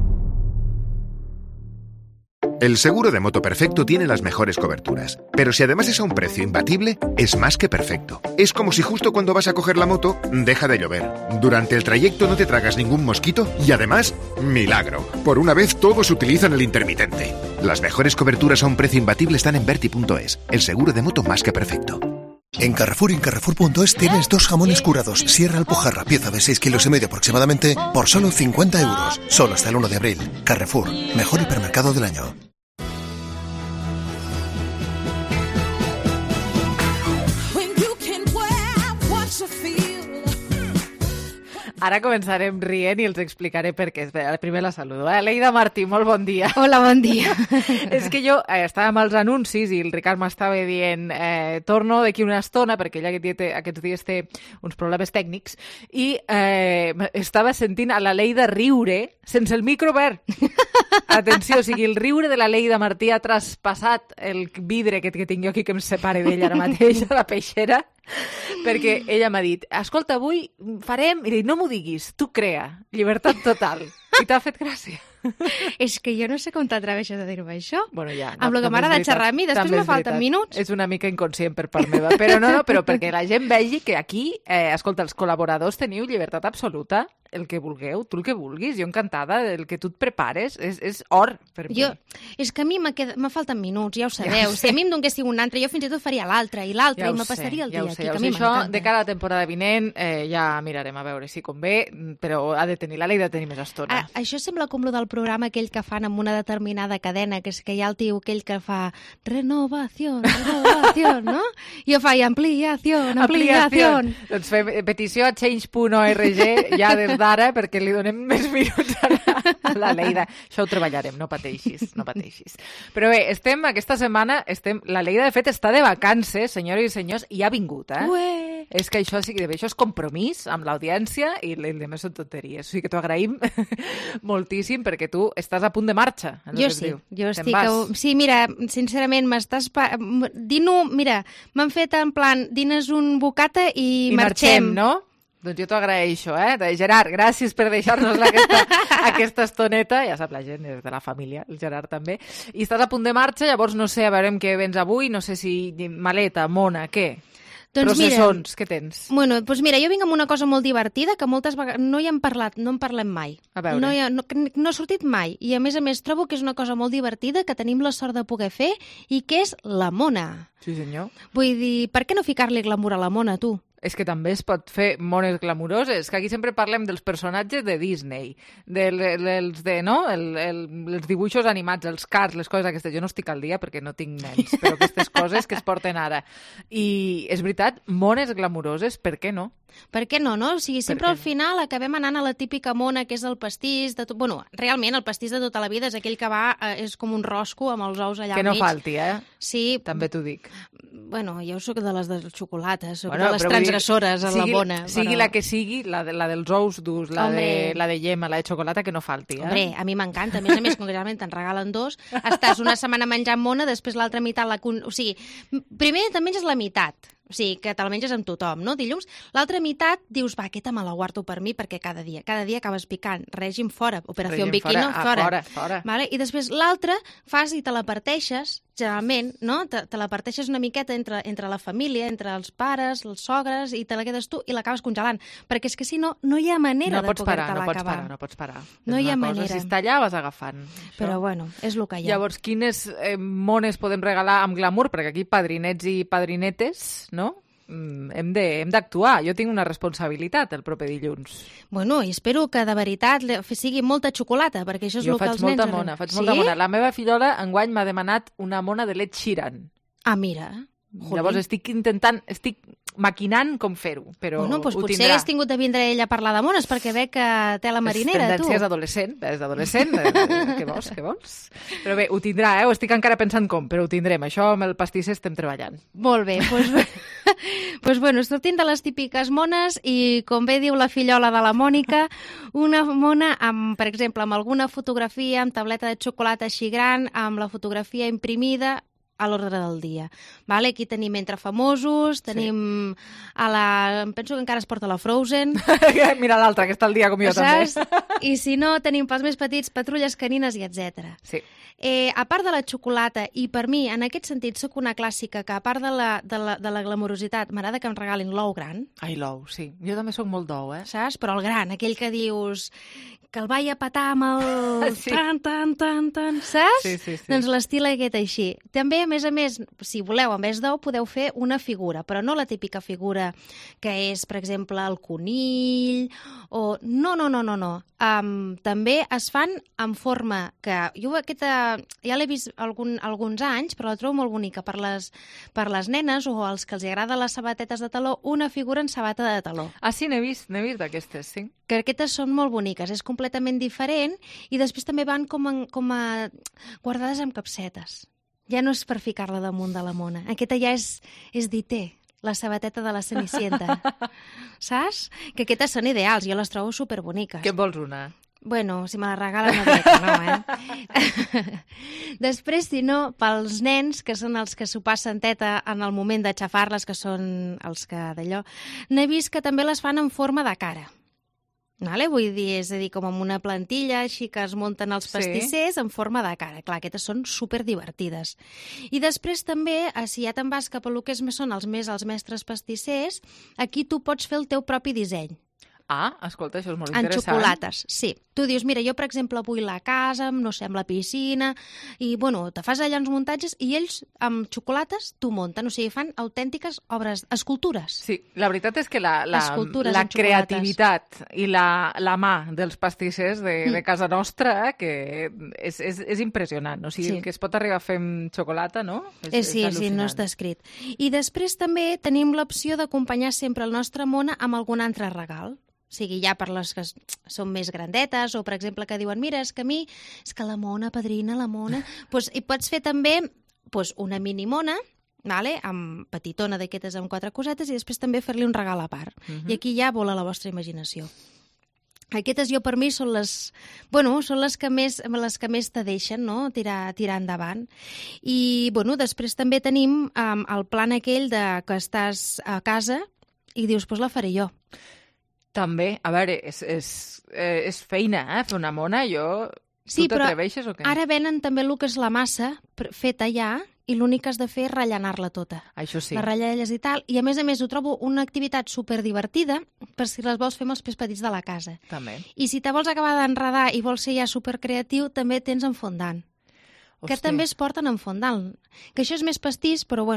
El seguro de moto perfecto tiene las mejores coberturas, pero si además es a un precio imbatible, es más que perfecto. Es como si justo cuando vas a coger la moto, deja de llover. Durante el trayecto no te tragas ningún mosquito y además, milagro. Por una vez todos utilizan el intermitente. Las mejores coberturas a un precio imbatible están en Verti.es, el seguro de moto más que perfecto. En Carrefour y en Carrefour.es tienes 2 jamones curados Sierra Alpujarra, pieza de 6,5 kilos aproximadamente, por solo 50 euros. Solo hasta el 1 de abril. Carrefour, mejor hipermercado del año. Ara començarem rient i els explicaré per què. Primer la saludo. Leida Martí, molt bon dia. Hola, bon dia. És que jo estava amb els anuncis i el Ricard m'estava dient torno d'aquí una estona, perquè ella aquests dies té uns problemes tècnics, i estava sentint a la Leida riure sense el micro obert. Atenció, o sigui, el riure de la Leida Martí ha traspassat el vidre que tinc jo aquí que em separa d'ella ara mateix a la peixera, perquè ella m'ha dit, escolta, avui farem... I dic, no m'ho diguis, tu crea, llibertat total. I t'ha fet gràcia. És que jo no sé com t'atreveixes a dir-me això. Bueno, ja. Amb el que m'agrada xerrar a mi, després me falten minuts. És una mica inconscient per part meva, però però perquè la gent vegi que aquí, escolta, els col·laboradors teniu llibertat absoluta, el que vulgueu, tu el que vulguis, jo encantada, el que tu et prepares, és or per mi. És que a mi me falten minuts, ja ho sabeu. Si a mi em donessin un altre, jo fins i tot faria l'altre i l'altre, i me passaria el dia aquí, que a mi m'encanta. Això, de cara a la temporada vinent, ja mirarem a veure si convé, però ha de tenir la Leida de tenir més estona. Això sembla com lo del programa aquell que fan amb una determinada cadena, que és que hi ha el tio aquell que fa renovació, no? I jo faig ampliació. Doncs fem petició a change.org ja des d'ara perquè li donem més minuts a la Leida. Això ho treballarem, no pateixis. Però bé, aquesta setmana, la Leida de fet està de vacances, senyores i senyors, i ha vingut, És que això és compromís amb l'audiència i el de més són tonteries. O sigui que t'ho agraïm moltíssim perquè tu estàs a punt de marxa. Jo estic... Sí, mira, sincerament, m'han fet en plan, dines un bocata i marxem. No? Doncs jo t'ho agraeixo, Gerard, gràcies per deixar-nos aquesta estoneta. Ja sap la gent, és de la família, el Gerard també. I estàs a punt de marxa, llavors no sé, a veure què vens avui, no sé si maleta, mona, què? Doncs processons, què tens? Bueno, doncs mira, jo vinc amb una cosa molt divertida que moltes vegades no hi hem parlat, no en parlem mai. A veure. No ha sortit mai. I a més trobo que és una cosa molt divertida que tenim la sort de poder fer i que és la mona. Sí, senyor. Vull dir, per què no ficar-li glamour a la mona, tu? És que també es pot fer mones glamuroses, que aquí sempre parlem dels personatges de Disney, els dibuixos animats, els cars, les coses aquestes. Jo no estic al dia perquè no tinc nens, però aquestes coses que es porten ara. I és veritat, mones glamuroses, per què no? Per què no, no? O sigui, sempre al final acabem anant a la típica mona que és el pastís de tot... Bueno, realment el pastís de tota la vida és aquell que va, és com un rosco amb els ous allà al mig. Que no falti, Sí. També t'ho dic. Bueno, jo soc de les de xocolata, soc de les transgressores a la mona. Sigui la que sigui, la dels ous durs, la de llet, la de xocolata, que no falti. Hombre, a mi m'encanta. A més, concretament te'n regalen 2, estàs una setmana menjant mona, després l'altra meitat O sigui, primer te'n menges la meitat. O sigui, que te la menges amb tothom, no? Dilluns. L'altra meitat dius, va, aquesta me la guardo per mi perquè cada dia acabes picant. Règim fora. Operació Bikini fora. Vale? I després l'altra fas i te la parteixes, generalment, no? Te la parteixes una miqueta entre la família, entre els pares, els sogres, i te la quedes tu i l'acabes congelant. Perquè és que si no, no hi ha manera de poder-te-la acabar. No pots parar. No hi ha manera. Si està allà, vas agafant. Però bueno, és el que hi ha. Llavors, quines mones podem regalar amb glamour? Perquè aquí padrinets i padrinetes, no? Hem d'actuar. Jo tinc una responsabilitat el proper dilluns. Bueno, i espero que de veritat sigui molta xocolata, perquè això és el que els nens... Jo faig molta mona. La meva fillola enguany m'ha demanat una mona de Ed Sheeran. Ah, mira. Llavors estic maquinant com fer-ho, però bueno, doncs ho potser tindrà. Hagués tingut de vindre ella a parlar de mones, perquè veig que té la marinera, tu. És adolescent, què vols? Però bé, ho tindrà, ho estic encara pensant com, però ho tindrem. Això amb el pastisser estem treballant. Molt bé, doncs bueno, sortint de les típiques mones i, com bé diu la fillola de la Mònica, una mona, per exemple, amb alguna fotografia, amb tableta de xocolata així gran, amb la fotografia imprimida, a l'ordre del dia. Vale? Aquí tenim Entre famosos, tenim em penso que encara es porta la Frozen. Mira l'altra, que està al dia com jo també. I si no, tenim pels més petits Patrulles canines i etc. Sí. A part de la xocolata, i per mi, en aquest sentit, sóc una clàssica que a part de la glamurositat, m'agrada que em regalin l'ou gran. Ai, l'ou, sí. Jo també sóc molt d'ou, Saps? Però el gran, aquell que dius que el vaig a petar amb el... Sí. Tan, saps? Sí. Doncs l'estil aquest així. També, a més, si voleu, en vez d'ou, podeu fer una figura, però no la típica figura que és, per exemple, el conill, o... No. També es fan en forma que... Jo aquesta ja l'he vist alguns anys, però la trobo molt bonica per les nenes o als que els agrada les sabatetes de taló, una figura en sabata de taló. Ah, sí, n'he vist d'aquestes, sí. Que aquestes són molt boniques, és completament diferent i després també van com a guardades amb capsetes. Ja no és per ficar-la damunt de la mona. Aquesta ja és d'Ité, la sabateta de la Cenicienta. Saps? Que aquestes són ideals, jo les trobo superboniques. Què vols una? Bueno, si me la regalen no diré que no, Després, si no, pels nens, que són els que s'ho passen teta en el moment d'aixafar-les, que són els que d'allò, n'he vist que també les fan en forma de cara. Vale? Vull dir, és a dir, com amb una plantilla així que es munten els pastissers en forma de cara. Clar, aquestes són superdivertides. I després també, si ja te'n vas cap a lo que són els mestres pastissers, aquí tu pots fer el teu propi disseny. Ah, escolta, això és molt en interessant. xocolates, sí. Tu dius, mira, jo, per exemple, vull la casa, no sé, amb la piscina, i, bueno, te fas allà uns muntatges i ells, amb xocolates, t'ho munten. O sigui, fan autèntiques obres, escultures. Sí, la veritat és que la en creativitat i la mà dels pastissers de casa nostra, que és impressionant. O sigui, el que es pot arribar a fer amb xocolata, no? Sí, no està escrit. I després també tenim l'opció d'acompanyar sempre el nostre mona amb algun altre regal. O sigui, ja per les que són més grandetes o, per exemple, que diuen, mira, és que la mona, padrina, la mona... I pots fer també una mini mona, amb petitona d'aquestes amb 4 cosetes i després també fer-li un regal a part. I aquí ja vola la vostra imaginació. Aquestes jo per mi són les que més te deixen, no? tirar endavant. I després també tenim el plan aquell que estàs a casa i dius, la faré jo. També, a veure, és feina, fer una mona, Sí, tu t'atreveixes o què? Ara venen també el que és la massa feta ja i l'únic que has de fer és rellenar-la tota. Això sí. La ratllelles i tal, i a més ho trobo una activitat superdivertida per si les vols fer amb els pes petits de la casa. També. I si te vols acabar d'enredar i vols ser ja supercreatiu, també tens en fondant. Que també es porten en fondant. Que això és més pastís, però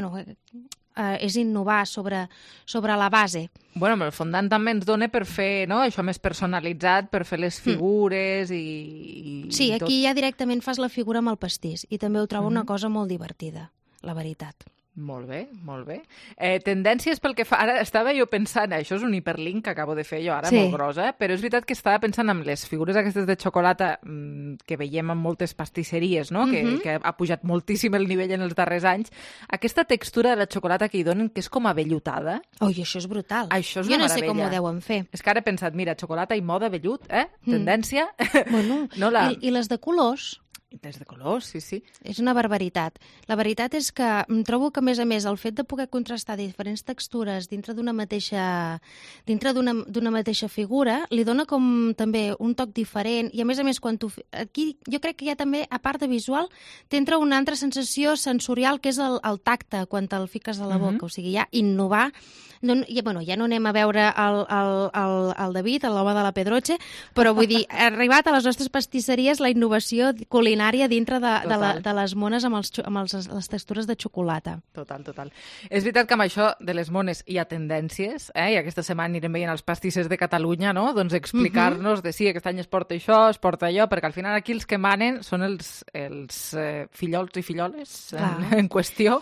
és innovar sobre la base. El fondant també ens dona per fer això més personalitzat, per fer les figures i Sí, tot. aquí ja directament fas la figura amb el pastís i també ho trobo una cosa molt divertida, la veritat. Molt bé, molt bé. Tendències pel que fa... Ara estava jo pensant, això és un hiperlink que acabo de fer jo ara, molt gros, però és veritat que estava pensant en les figures aquestes de xocolata que veiem en moltes pastisseries, no? Que ha pujat moltíssim el nivell en els darrers anys. Aquesta textura de la xocolata que hi donen, que és com avellutada. Oi, això és brutal. Això és una meravella. Jo no sé com ho deuen fer. És que ara he pensat, mira, xocolata i moda vellut, tendència. I les de colors... Des de colors, sí. És una barbaritat. La veritat és que em trobo que, a més, el fet de poder contrastar diferents textures dintre d'una mateixa figura li dona com també un toc diferent i, a més, quan aquí jo crec que ja també, a part de visual, t'entra una altra sensació sensorial que és el tacte quan te'l fiques a la boca. O sigui, ja innovar... ja no anem a veure el David, l'home de la Pedroche, però vull dir, ha arribat a les nostres pastisseries la innovació culinària dintre de les mones amb les textures de xocolata. Total. És veritat que amb això de les mones hi ha tendències, i aquesta setmana anirem veient els pastissers de Catalunya, no? Doncs explicar-nos de sí, aquest any es porta això, es porta allò, perquè al final aquí els que manen són els fillols i filloles en qüestió.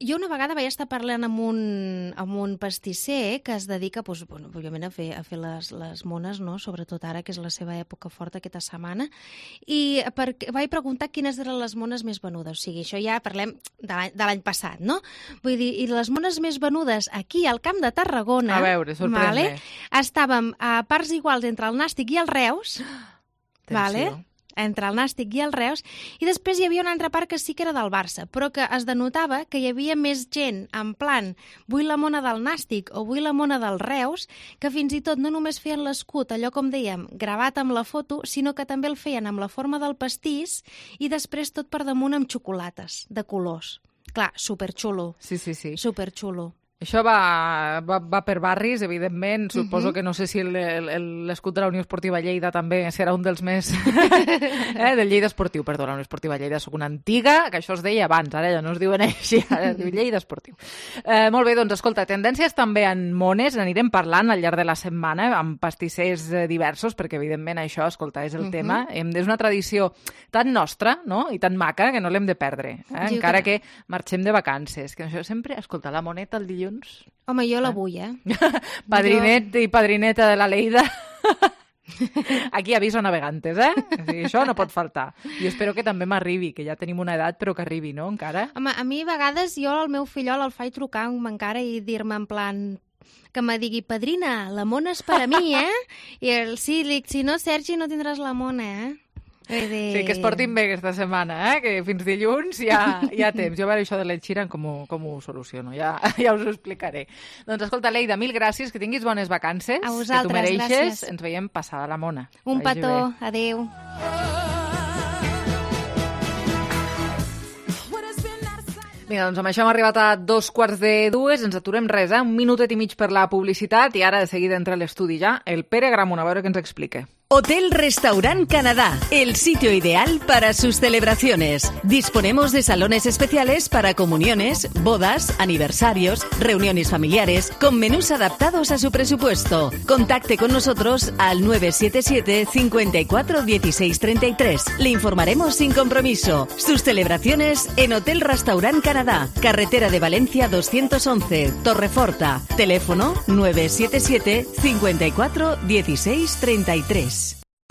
Jo una vegada vaig estar parlant amb un pastisser que es dedica, òbviament, a fer les mones, no? Sobretot ara, que és la seva època forta aquesta setmana, i vaig preguntar quines eren les mones més venudes. O sigui, això ja parlem de l'any passat, no? Vull dir, i les mones més venudes aquí, al Camp de Tarragona... A veure, sorprèn-me. Estàvem a parts iguals entre el Nàstic i el Reus, entre el Nàstic i el Reus, i després hi havia una altra part que sí que era del Barça, però que es denotava que hi havia més gent en plan vull la mona del Nàstic o vull la mona del Reus, que fins i tot no només feien l'escut, allò com dèiem, gravat amb la foto, sinó que també el feien amb la forma del pastís i després tot per damunt amb xocolates de colors. Clar, superxulo. Sí. Superxulo. Això va per barris, evidentment. Suposo que no sé si l'escut de la Unió Esportiva Lleida també serà un dels més... del Lleida Esportiu, perdó, la Unió Esportiva Lleida. Soc una antiga, que això es deia abans, ara ja no es diuen així, ara es diu Lleida Esportiu. Molt bé, doncs escolta, tendències també en mones, n'anirem parlant al llarg de la setmana, amb pastissers diversos, perquè evidentment això, escolta, és el tema. És una tradició tan nostra, no?, i tan maca, que no l'hem de perdre, encara que marxem de vacances. Que això sempre, escolta, la moneta el dilluns. Home, jo la vull, Padrinet i padrineta de la Lleida. Aquí aviso navegantes, O sigui, això no pot faltar. I espero que també m'arribi, que ja tenim una edat, però que arribi, no?, encara. Home, a mi a vegades jo al meu fillol el faig trucar encara i dir-me en plan que me digui, padrina, la mona és per a mi, I sí, si no, Sergi, no tindràs la mona, Sí, que es portin bé aquesta setmana, que fins dilluns ja temps. Jo a veure això de l'Ed Sheeran com ho soluciono, ja us ho explicaré. Doncs escolta, Leida, mil gràcies, que tinguis bones vacances. A vosaltres, que tu mereixes. Gràcies. Ens veiem passada la mona. Un petó, adeu. Vinga, doncs amb això hem arribat a 2:45, ens aturem res, un minutet i mig per la publicitat i ara de seguida entra a l'estudi ja el Pere Gramunt, a veure què ens explica. Hotel Restaurant Canadá, el sitio ideal para sus celebraciones. Disponemos de salones especiales para comuniones, bodas, aniversarios, reuniones familiares, con menús adaptados a su presupuesto. Contacte con nosotros al 977 54 16 33. Le informaremos sin compromiso. Sus celebraciones en Hotel Restaurant Canadá, carretera de Valencia 211, Torreforta. Teléfono 977 54 16 33.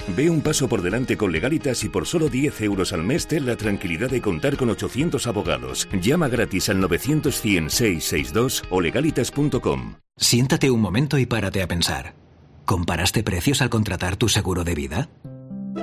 Ve un paso por delante con Legalitas y por solo 10 euros al mes ten la tranquilidad de contar con 800 abogados. Llama gratis al 900-100-662 o legalitas.com. Siéntate un momento y párate a pensar. ¿Comparaste precios al contratar tu seguro de vida?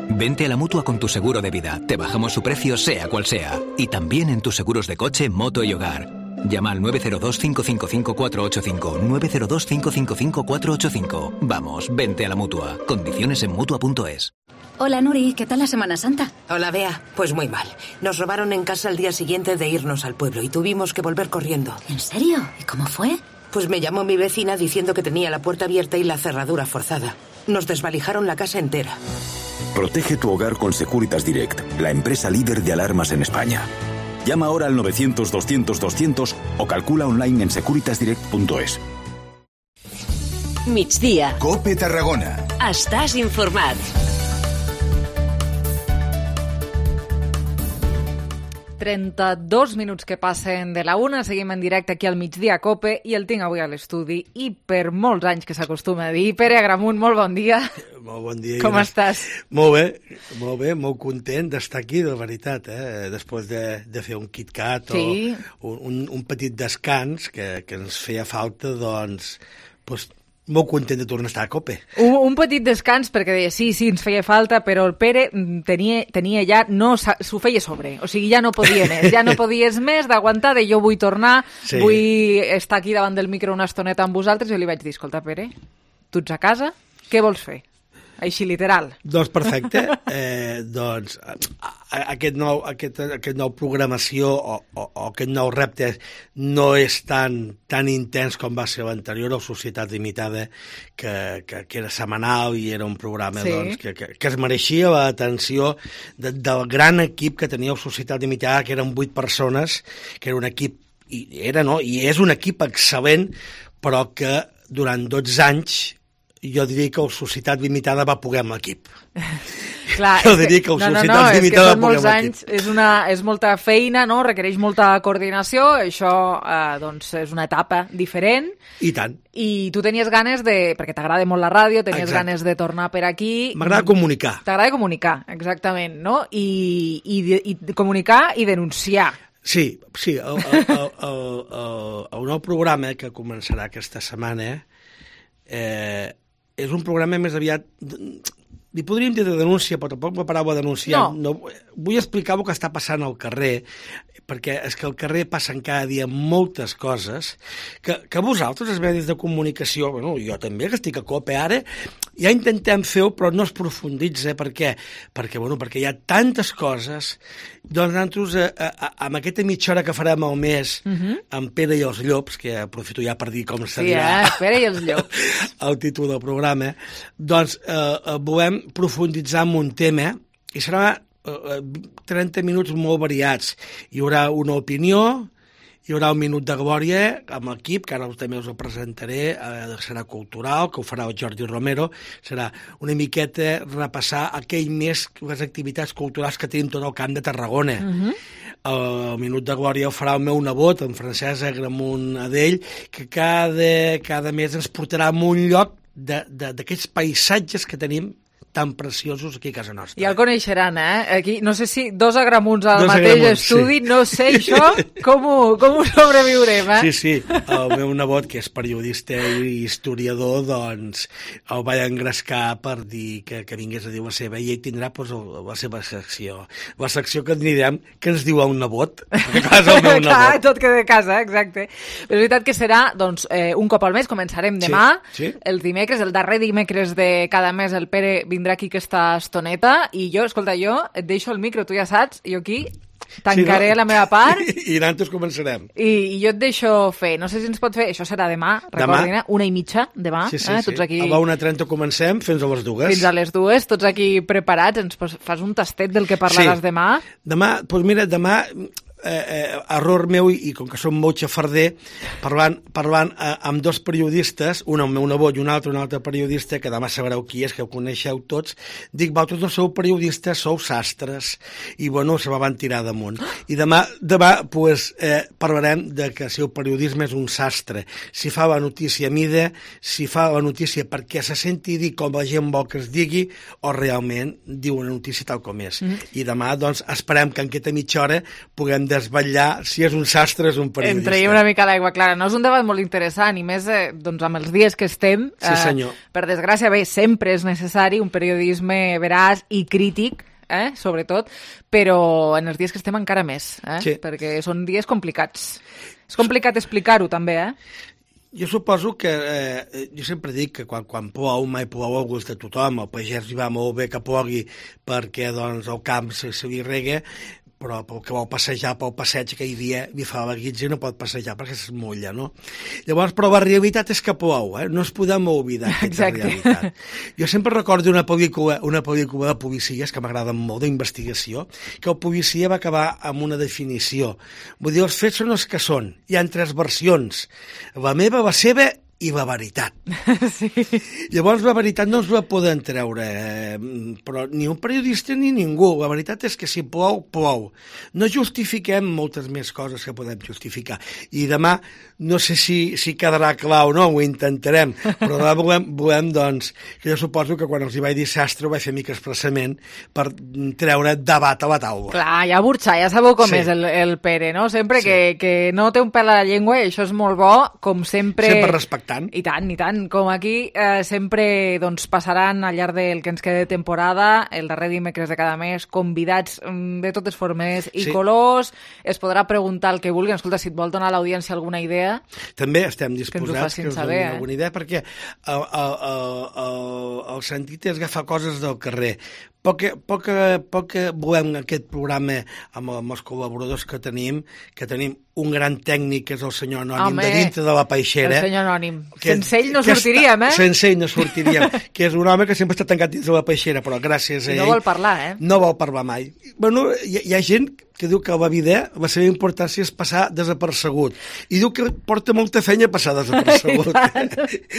Vente a la Mutua con tu seguro de vida. Te bajamos su precio sea cual sea. Y también en tus seguros de coche, moto y hogar. Llama al 902-555-485. 902-555-485. Vamos, vente a la Mutua. Condiciones en Mutua.es. Hola, Nuri, ¿qué tal la Semana Santa? Hola, Bea. Pues muy mal. Nos robaron en casa el día siguiente de irnos al pueblo y tuvimos que volver corriendo. ¿En serio? ¿Y cómo fue? Pues me llamó mi vecina diciendo que tenía la puerta abierta y la cerradura forzada. Nos desvalijaron la casa entera. Protege tu hogar con Securitas Direct, la empresa líder de alarmas en España. Llama ahora al 900-200-200 o calcula online en securitasdirect.es. Migdia. COPE Tarragona. Estàs informat. ...32 minuts que passen de la 1, seguim en directe aquí al Migdia a COPE i el tinc avui a l'estudi i per molts anys que s'acostuma a dir. Pere Gramunt, molt bon dia. Molt bon dia. Com estàs? Molt bé, molt content d'estar aquí, de veritat, després de fer un KitKat sí. o un petit descans que ens feia falta, doncs molt content de tornar a estar a COPE. Un petit descans, perquè deia, sí, ens feia falta, però el Pere tenia ja, no s'ho feia sobre, o sigui, ja no podia més, ja no podies més d'aguantar, de jo vull tornar, sí. Vull estar aquí davant del micro una estoneta amb vosaltres, i li vaig dir, escolta, Pere, tu ets a casa, què vols fer? Així, literal. Doncs perfecte. Doncs aquest nou programació o aquest nou repte no és tan intens com va ser l'anterior, o Societat Limitada, que era setmanal i era un programa sí. doncs, que es mereixia l'atenció del gran equip que tenia la Societat Limitada, que eren 8 persones, que era un equip, i és un equip excel·lent, però que durant 12 anys jo diria que la Societat Limitada va poder amb l'equip. Clar, jo diria que la Societat Limitada va poder amb l'equip. És molta feina, no? Requereix molta coordinació, això doncs és una etapa diferent. I tant. I tu tenies ganes perquè t'agrada molt la ràdio, tenies ganes de tornar per aquí. M'agrada comunicar. T'agrada comunicar, exactament, no? I comunicar i denunciar. Sí, el nou programa que començarà aquesta setmana és un programa més aviat li podríem dir de denúncia, però tampoc la paraula denunciar. No, vull explicar el que està passant al carrer, perquè és que al carrer passen cada dia moltes coses que vosaltres, els medis de comunicació, bueno, jo també, que estic a COPE ara, ja intentem fer-ho, però no es profunditza. Per què? Perquè hi ha tantes coses. Doncs nosaltres, amb aquesta mitja hora que farem al mes, amb Pere i els Llops, que aprofito ja per dir com seria Pere i els Llops, el títol del programa, doncs volem profunditzar en un tema i serà 30 minuts molt variats. Hi haurà una opinió, hi haurà un minut de glòria amb l'equip, que ara també us ho presentaré, serà cultural, que ho farà el Jordi Romero, serà una miqueta repassar aquell mes les activitats culturals que tenim tot el Camp de Tarragona. El minut de glòria ho farà el meu nebot, en Francesc Agramunt Adell, que cada mes ens portarà a un lloc d'aquests paisatges que tenim tan preciosos aquí a casa nostra. Ja el coneixeran, Aquí, no sé si dos Agramunts al mateix estudi, sí. No sé això, com ho sobreviurem, Sí, el meu nebot, que és periodista i historiador, doncs el vaig engrescar per dir que vingués a dir la seva, i ell tindrà la seva secció. La secció que anirem, que ens diu a un nebot, perquè clar, és el meu nebot. Clar, tot queda a casa, exacte. Però és veritat que serà, doncs, un cop al mes, començarem demà, el dimecres, el darrer dimecres de cada mes, el Pere vindrà aquí aquesta estoneta i jo, escolta, et deixo el micro, tu ja saps, jo aquí tancaré la meva part i nosaltres començarem. I jo et deixo fer, no sé si ens pot fer, això serà demà, recordin, 1:30 demà, tots aquí... A la 1:30 comencem fins a les 2. Fins a les 2, tots aquí preparats, ens fas un tastet del que parlaràs demà? Demà, doncs mira, demà... error meu, i com que som molt xafarder, parlant amb dos periodistes, un el meu nebot i un altre periodista, que demà sabreu qui és, que ho coneixeu tots, dic, vosaltres no sou periodistes, sou sastres, i bueno, se van tirar damunt. I demà pues, parlarem de que si el periodisme és un sastre, si fa la notícia a mida, si fa la notícia perquè se senti dir com la gent vol que es digui, o realment diu una notícia tal com és. I demà, doncs, esperem que en aquesta mitja hora puguem desvetllar si és un sastre o és un periodista. En traiem una mica l'aigua clara. No és un debat molt interessant, i més doncs, amb els dies que estem. Sí, senyor. Per desgràcia, bé, sempre és necessari un periodisme veraç i crític, sobretot, però en els dies que estem encara més, perquè són dies complicats. És complicat explicar-ho, també, Jo suposo que, jo sempre dic que quan plou, mai plou al gust de tothom, el pagès li va molt bé que plogui perquè doncs, el camp se li rega, però pel que vol passejar pel passeig aquell dia li fa la guitza i no pot passejar perquè es mulla, no? Llavors, però la realitat és que plou, no ens podem oblidar aquesta realitat. Jo sempre recordo una pel·lícula de policies que m'agrada molt, d'investigació, que el policia va acabar amb una definició. Vull dir, els fets són els que són. Hi ha 3 versions. La meva, la seva i la veritat. Sí. Llavors la veritat no ens la poden treure, però ni un periodista ni ningú. La veritat és que si plou, plou. No justifiquem moltes més coses que podem justificar. I demà, no sé si quedarà clar o no, ho intentarem, però demà volem doncs, que jo suposo que quan els hi vaig dir sastre ho vaig fer mica expressament per treure debat a la taula. Clar, ja burxar, ja sabeu com és el Pere, no? Sempre que no té un pèl a la llengua, i això és molt bo, com sempre... Sempre respectant. I tant. Com aquí sempre doncs, passaran al llarg del que ens queda de temporada, el darrer dimecres de cada mes, convidats de totes formes i colors. Es podrà preguntar el que vulguin. Escolta, si et vol donar a l'audiència alguna idea... També estem disposats que us donin alguna idea, perquè el sentit és agafar coses del carrer. Poc volem aquest programa amb els col·laboradors que tenim un gran tècnic, que és el senyor Anònim, de dintre de la Peixera. El senyor Anònim. Sense ell no sortiríem, Sense ell no sortiríem, que és un home que sempre està tancat dins de la Peixera, però gràcies a ell... No vol parlar, No vol parlar mai. Bueno, hi ha gent que diu que a la vida la seva importància és passar desapercebut. I diu que porta molta feina passar desapercebut.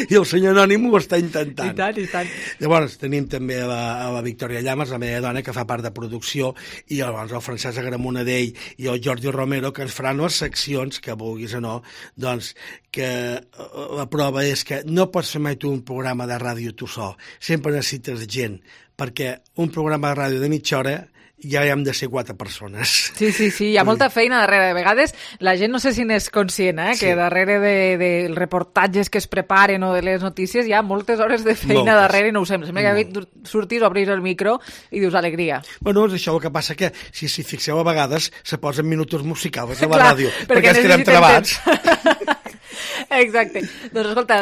I el senyor Anònim ho està intentant. I tant. Llavors, tenim també a la Victòria Llamas, la meva dona, que fa part de producció, i llavors el Francesc Agramunt Adell i el Jordi Romero, que ens faran les seccions, que vulguis o no, doncs, que la prova és que no pots fer mai tu un programa de ràdio tu sol. Sempre necessites gent, perquè un programa de ràdio de mitja hora ja hem de ser 4 persones. Sí, hi ha molta feina darrere. De vegades la gent no sé si n'és conscient, que darrere dels reportatges que es preparen o de les notícies hi ha moltes hores de feina darrere i no ho sé. Sembla que sortis, obris el micro i dius alegria. Bueno, és això el que passa, que si fixeu a vegades se posen minutos musicals a la ràdio, perquè ens quedem trebats. Exacte. Doncs escolta,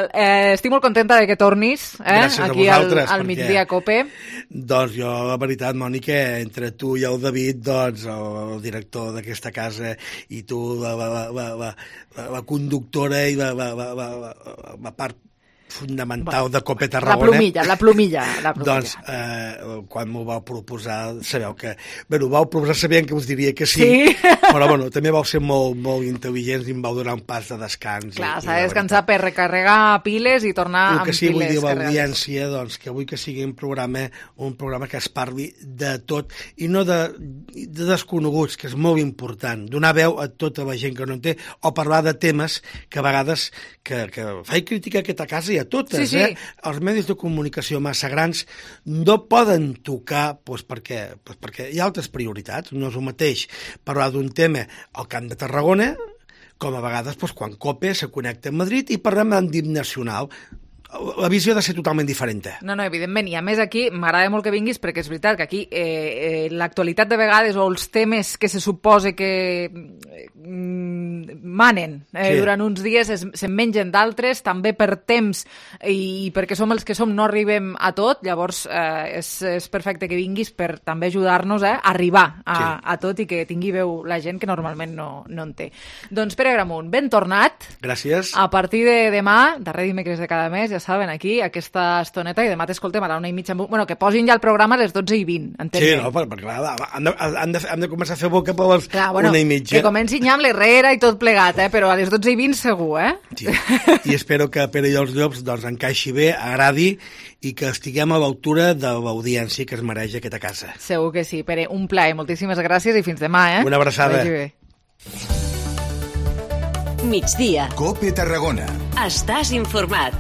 estic molt contenta de que tornis aquí al Migdia Cope. Doncs jo, la veritat, Mònica, entre tu i el David, doncs, el director d'aquesta casa, i tu, la conductora i la part fundamental de Cope Tarragona. La plomilla. Doncs, quan m'ho vau proposar, sabeu que... Bé, ho vau proposar sabent que us diria que sí. Però, bueno, també vau ser molt intel·ligents i em vau donar un pas de descans. Clar, s'ha de descansar per recarregar piles i tornar amb piles. El que sí, vull dir, l'audiència, doncs, que vull que sigui un programa que es parli de tot, i no de desconeguts, que és molt important. Donar veu a tota la gent que no en té, o parlar de temes que a vegades que faig crítica a aquesta casa i a totes, Els medis de comunicació massa grans no poden tocar, perquè hi ha altres prioritats. No és el mateix parlar d'un tema al Camp de Tarragona com a vegades quan Cope se connecta amb Madrid i parlem d'àmbit nacional. La visió ha de ser totalment diferent. No, evidentment, i a més aquí m'agrada molt que vinguis perquè és veritat que aquí l'actualitat de vegades o els temes que se suposa que manen durant uns dies se'n mengen d'altres, també per temps i perquè som els que som no arribem a tot, llavors és perfecte que vinguis per també ajudar-nos a arribar a tot i que tingui veu la gent que normalment no en té. Doncs Pere Gramunt, ben tornat. Gràcies. A partir de demà, darrer dimecres de cada mes, ja saben, aquí, aquesta estoneta, i demà t'escoltem a la 1:30. Bueno, que posin ja el programa a les 12:20, entenc. Sí, no, perquè clar, hem de començar a fer boca per les 1:30. Que comencin ja amb l'Herrera i tot plegat, però a les 12:20 segur, Sí. I espero que Pere i els Llops doncs encaixi bé, agradi i que estiguem a l'altura de l'audiència que es mereix aquesta casa. Segur que sí, Pere. Un plaer. Moltíssimes gràcies i fins demà, Una abraçada. Vagi bé. Migdia. Cope Tarragona. Estàs informat.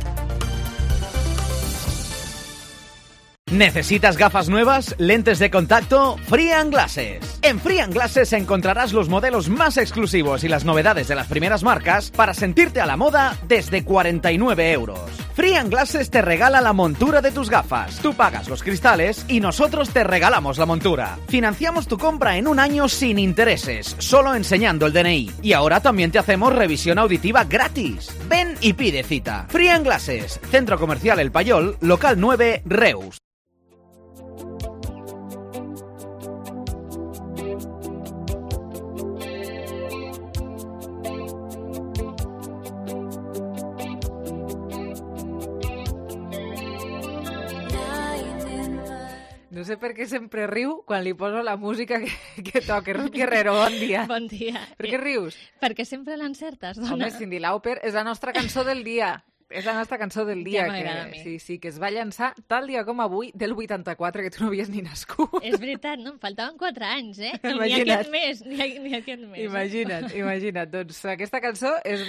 ¿Necesitas gafas nuevas? ¿Lentes de contacto? Free & Glasses. En Free & Glasses encontrarás los modelos más exclusivos y las novedades de las primeras marcas para sentirte a la moda desde 49 €. Free & Glasses te regala la montura de tus gafas. Tú pagas los cristales y nosotros te regalamos la montura. Financiamos tu compra en un año sin intereses, solo enseñando el DNI. Y ahora también te hacemos revisión auditiva gratis. Ven y pide cita. Free & Glasses, Centro Comercial El Payol, local 9, Reus. No sé per què sempre riu quan li poso la música que toca. Ruth Guerrero, bon dia. Bon dia. Per què rius? Perquè sempre l'encertes, dona. Home, Cyndi Lauper és la nostra cançó del dia. És la nostra cançó del dia. Ja m'agrada a mi. Sí, que es va llançar tal dia com avui del 84, que tu no havies ni nascut. És veritat, no? Em faltaven 4 anys, Imagina't. Ni aquest mes, ni aquest mes. Imagina't. Doncs aquesta cançó es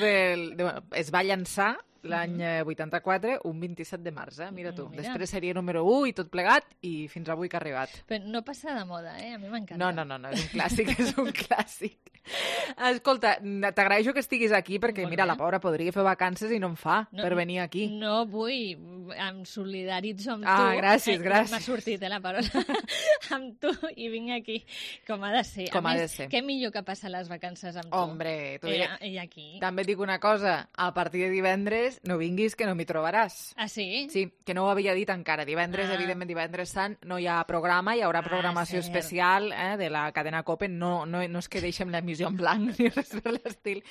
va llançar l'any 84, un 27 de març, mira tu. Mira. Després seria número 1 i tot plegat, i fins avui que ha arribat. Però no passa de moda, a mi m'encanta. No, és un clàssic, és un clàssic. Escolta, t'agraeixo que estiguis aquí, perquè mira, la pobra podria fer vacances i no en fa per venir aquí. No vull, em solidaritzo amb tu. Gràcies. M'ha sortit la paraula. Amb tu, i vinc aquí, com ha de ser. Com ha de ser. Què millor que passar les vacances amb tu? Hombre, I aquí. També et dic una cosa, a partir de divendres no vinguis que no m'hi trobaràs. Ah, sí? Sí, que no ho havia dit encara. Divendres, evidentment, divendres sant, no hi ha programa, hi haurà programació especial de la cadena Cope. No és que deixem l'emissió en blanc ni res per l'estil.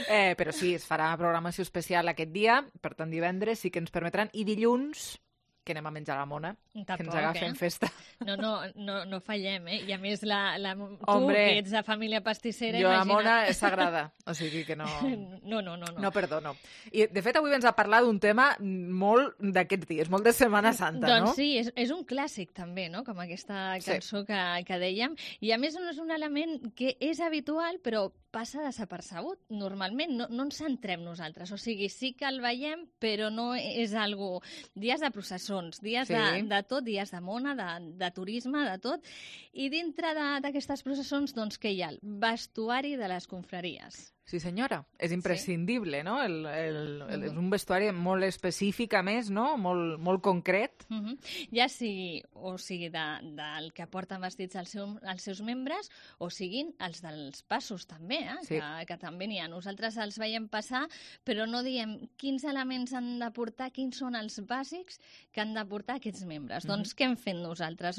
Però sí, es farà programació especial aquest dia, per tant divendres sí que ens permetran. I dilluns, que anem a menjar la mona, que ens agafen festa. No fallem, I a més, Hombre, tu, que ets de família pastissera, jo la mona és sagrada, o sigui que no... No perdono. I, de fet, avui ens ha parlat d'un tema molt d'aquests dies, molt de Setmana Santa, no? Doncs sí, és un clàssic també, no?, com aquesta cançó que dèiem, i a més no és un element que és habitual, però passa desapercebut. Normalment no ens centrem nosaltres, o sigui, sí que el veiem, però no és algo... Dies de processons, dies de tot, dies de mona, de turisme, de tot, i dintre d'aquestes processons, doncs, què hi ha? El vestuari de les confraries. Sí, senyora. És imprescindible, no? És un vestuari molt específic, a més, no? Molt concret. Ja sigui, o sigui, del que porten vestits els seus membres, o siguin els dels passos, també, que també n'hi ha. Nosaltres els veiem passar, però no diem quins elements han de portar, quins són els bàsics que han de portar aquests membres. Doncs què hem fet nosaltres?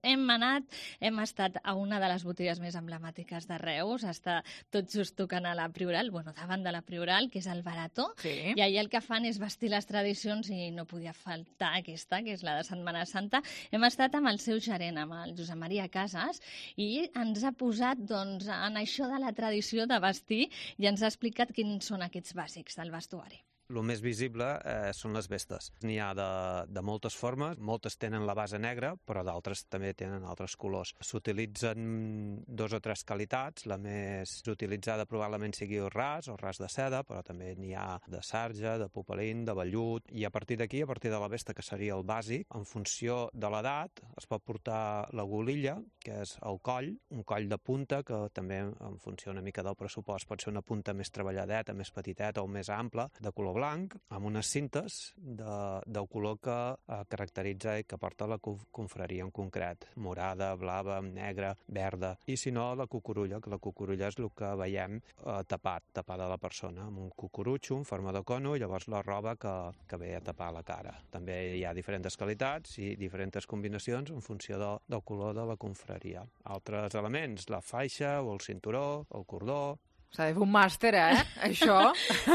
Hem estat a una de les botigues més emblemàtiques de Reus, està tot just tocant a la Prioral, davant de la Prioral, que és el Barató, i allà el que fan és vestir les tradicions i no podia faltar aquesta, que és la de Setmana Santa. Hem estat amb el seu gerent, amb el Josep Maria Casas, i ens ha posat en això de la tradició de vestir i ens ha explicat quins són aquests bàsics del vestuari. El més visible són les vestes. N'hi ha de moltes formes, moltes tenen la base negra, però d'altres també tenen altres colors. S'utilitzen 2 o 3 qualitats, la més utilitzada probablement sigui el ras o ras de seda, però també n'hi ha de sarja, de popelín, de vellut, i a partir d'aquí, a partir de la vesta, que seria el bàsic, en funció de l'edat, es pot portar la golilla, que és el coll, un coll de punta, que també en funció una mica del pressupost pot ser una punta més treballadeta, més petiteta o més ampla, de color blanc, amb unes cintes del color que caracteritza i que porta la confraria en concret. Morada, blava, negra, verda. I si no, la cucurulla, que la cucurulla és el que veiem tapada la persona, amb un cucurutxo en forma de cono i llavors la roba que ve a tapar la cara. També hi ha diferents qualitats i diferents combinacions en funció del color de la confraria. Altres elements, la faixa o el cinturó, el cordó. S'ha de fer un màster, això?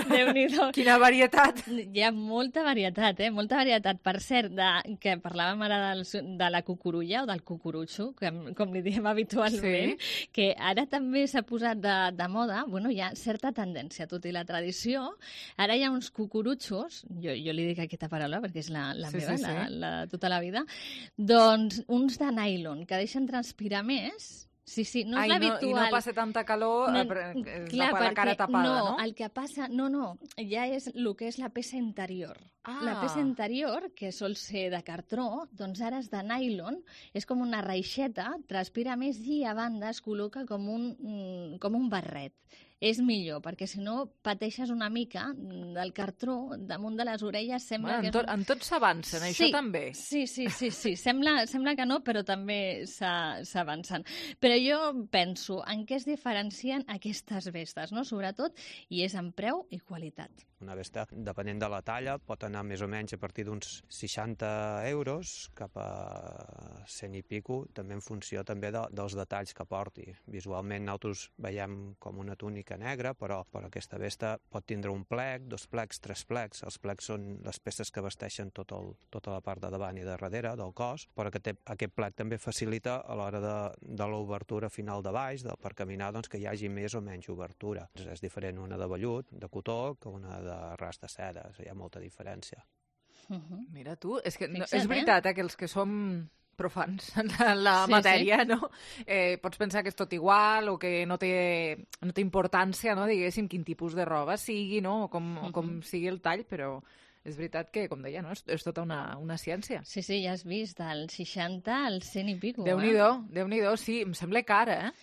Déu-n'hi-do. Quina varietat! Hi ha molta varietat, molta varietat. Per cert, que parlàvem ara de la cucurulla o del cucurutxo, com li diem habitualment, que ara també s'ha posat de moda, hi ha certa tendència, tot i la tradició, ara hi ha uns cucurutxos, jo li dic aquesta paraula perquè és la meva, la de tota la vida, doncs uns de nylon que deixen transpirar més. Sí, no és l'habitual. I no passa tanta calor la cara tapada, no? El que passa... No, ja és el que és la peça interior. La peça interior, que sol ser de cartró, doncs ara és de nylon, és com una reixeta, transpira més i a banda es col·loca com un barret. És millor, perquè si no pateixes una mica del cartró damunt de les orelles. Sembla que en tot s'avancen, això també. Sí. Sembla que no, però també s'avancen. Però jo penso en què es diferencien aquestes vestes, no? Sobretot, i és en preu i qualitat. Una vesta, depenent de la talla, pot anar més o menys a partir d'uns 60 euros cap a 100 i pico, també en funció també dels detalls que porti. Visualment nosaltres veiem com una túnica negra, però aquesta vesta pot tindre un plec, 2 plecs, 3 plecs. Els plecs són les peces que vesteixen tota la part de davant i de darrere del cos, però aquest plec també facilita a l'hora de l'obertura final de baix, per caminar, doncs, que hi hagi més o menys obertura. És diferent una de vellut, de cotó, que una de ras de seda. Hi ha molta diferència. Mira tu, és que és veritat que els que som profans en la matèria, no? Pots pensar que és tot igual o que no té importància, no? Diguéssim, quin tipus de roba sigui, no? O com sigui el tall, però és veritat que, com deia, no? És tota una ciència. Sí, ja has vist, del 60 al 100 i pico. Déu-n'hi-do, sí, em sembla car,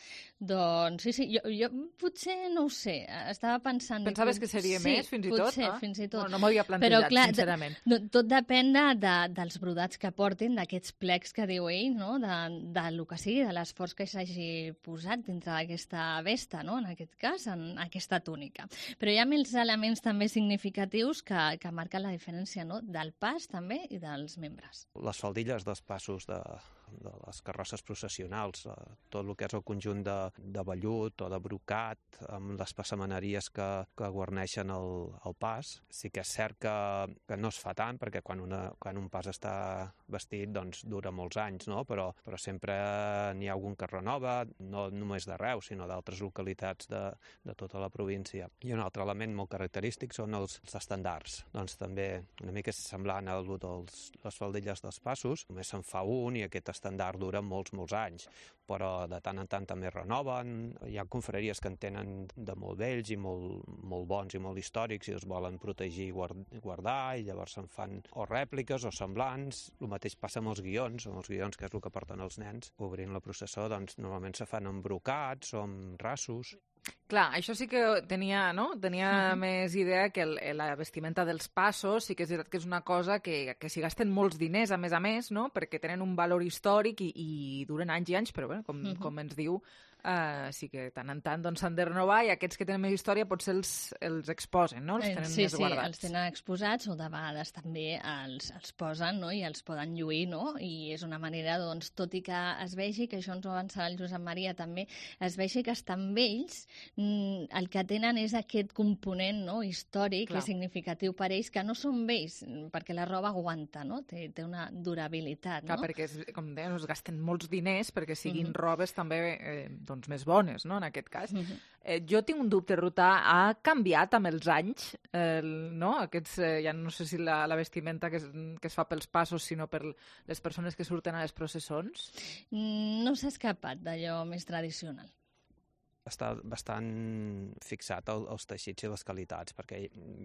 Doncs sí, jo potser no ho sé, estava pensant... Pensaves que seria més, fins i tot? Potser, fins i tot. No m'ho havia plantejat, sincerament. Tot depèn dels brodats que portin, d'aquests plecs que diu ell, no? Del que sigui, de l'esforç que s'hagi posat dintre d'aquesta vesta, no? En aquest cas, en aquesta túnica. Però hi ha més elements també significatius que marquen la diferència, no? Del pas, també, i dels membres. Les faldilles dels passos de les carrosses processionals, tot el que és el conjunt de vellut o de brocat, amb les passamaneries que guarneixen el pas. Sí que és cert que no es fa tant, perquè quan un pas està vestit, doncs dura molts anys, no? Però sempre n'hi ha algun que renova, no només de Reus, sinó d'altres localitats de tota la província. I un altre element molt característic són els estandards. Doncs també una mica semblant a les faldilles dels passos, només se'n fa un i aquest estendard estàndard dura molts anys, però de tant en tant també renoven. Hi ha confraries que en tenen de molt vells i molt bons i molt històrics i els volen protegir i guardar, i llavors se'n fan o rèpliques o semblants. El mateix passa amb els guions, que és el que porten els nens obrint la processó, doncs normalment se fan amb brocats o amb rasos. Clar, això sí que tenia més idea que la vestimenta dels passos, sí que és veritat que és una cosa que s'hi gasten molts diners, a més, no? Perquè tenen un valor històric i duren anys i anys, però bé, com ens diu, sí que tant en tant s'han de renovar, i aquests que tenen més història potser els exposen, no? Els tenen més guardats. Els tenen exposats, o de vegades també els posen, no? I els poden lluir, no? I és una manera, doncs, tot i que es vegi, que això ens ho avançarà el Josep Maria també, es vegi que estan vells, el que tenen és aquest component, no? Històric, que és significatiu per ells, que no són vells, perquè la roba aguanta, no? Té una durabilitat, no? Clar, perquè, com dèiem, es gasten molts diners perquè siguin robes també més bones, no?, en aquest cas. Jo tinc un dubte, Ruta, ha canviat amb els anys, no? Aquests, ja no sé si la vestimenta que es fa pels passos, sinó per les persones que surten a les processons? No s'ha escapat d'allò més tradicional. Està bastant fixat als teixits i les qualitats, perquè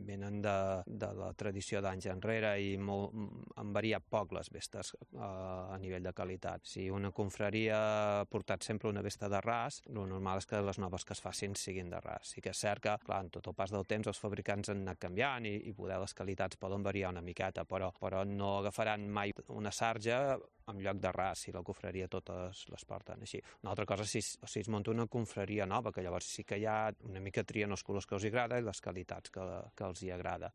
venen de la tradició d'anys enrere i han variat poc les vestes a nivell de qualitat. Si una confraria ha portat sempre una vesta de ras, el normal és que les noves que es facin siguin de ras. Sí que és cert que, clar, en tot el pas del temps els fabricants han anat canviant i poder les qualitats poden variar una miqueta, però no agafaran mai una sarja en lloc de ras, si la confraria totes les porten així. Una altra cosa, si es munta una confraria nova, que llavors sí que hi ha una mica trien els colors que els agrada i les qualitats que els hi agrada.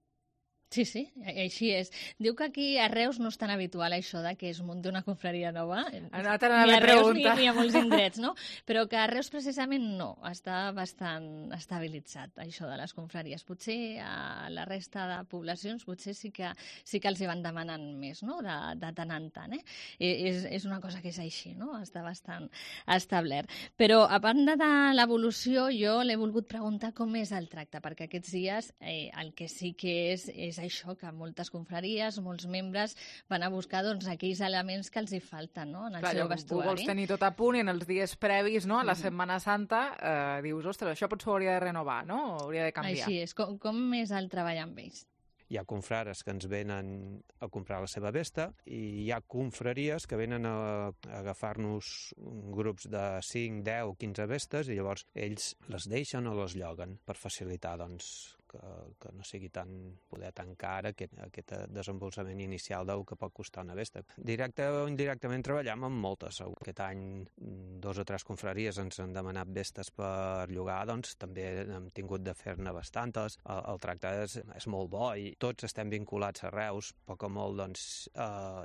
Sí, així és. Diu que aquí a Reus no és tan habitual això de que es munti una confraria nova. Ni a Reus ni a molts indrets, no? Però que a Reus precisament no. Està bastant estabilitzat, això de les confraries. Potser a la resta de poblacions potser sí que els hi van demanant més, no?, de tant en tant. És una cosa que és així, no? Està bastant establert. Però, a banda de l'evolució, jo l'he volgut preguntar com és el tracte, perquè aquests dies el que sí que és això, que moltes confraries, molts membres van a buscar aquells elements que els hi falten, no?, en el seu vestuari. Tu vols tenir tot a punt i en els dies previs, no?, a la Setmana Santa, dius, ostres, això potser ho hauria de renovar, no?, o hauria de canviar. Així és. Com és el treball amb ells? Hi ha confrares que ens venen a comprar la seva vesta i hi ha confraries que venen a agafar-nos grups de 5, 10, 15 vestes i llavors ells les deixen o les lloguen per facilitar, doncs, que no sigui tan car aquest desembolsament inicial del que pot costar una vesta. Directe o indirectament treballem amb moltes. Aquest any 2 o 3 confraries ens han demanat vestes per llogar, doncs també hem tingut de fer-ne bastantes. El tracte és molt bo i tots estem vinculats a Reus. Poc o molt, doncs,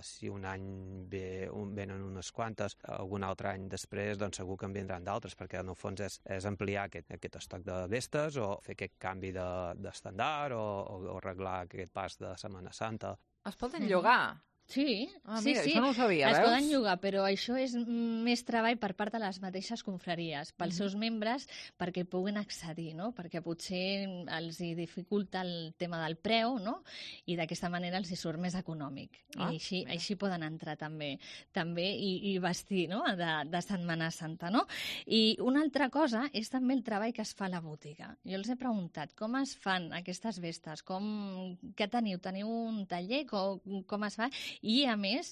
si un any venen unes quantes, algun altre any després, doncs segur que en vindran d'altres, perquè en el fons és ampliar aquest estoc de vestes o fer aquest canvi d'estandard o arreglar aquest pas de Setmana Santa. Es poden llogar? Sí, mira, això no ho sabia, es poden llogar, però això és més treball per part de les mateixes confraries, pels seus membres, perquè puguin accedir, no? Perquè potser els hi dificulta el tema del preu, no? I d'aquesta manera els hi surt més econòmic. I així poden entrar també i vestir, no?, de Setmana Santa, no? I una altra cosa és també el treball que es fa a la botiga. Jo els he preguntat com es fan aquestes vestes, què teniu? Teniu un taller? Com es fa? I, a més,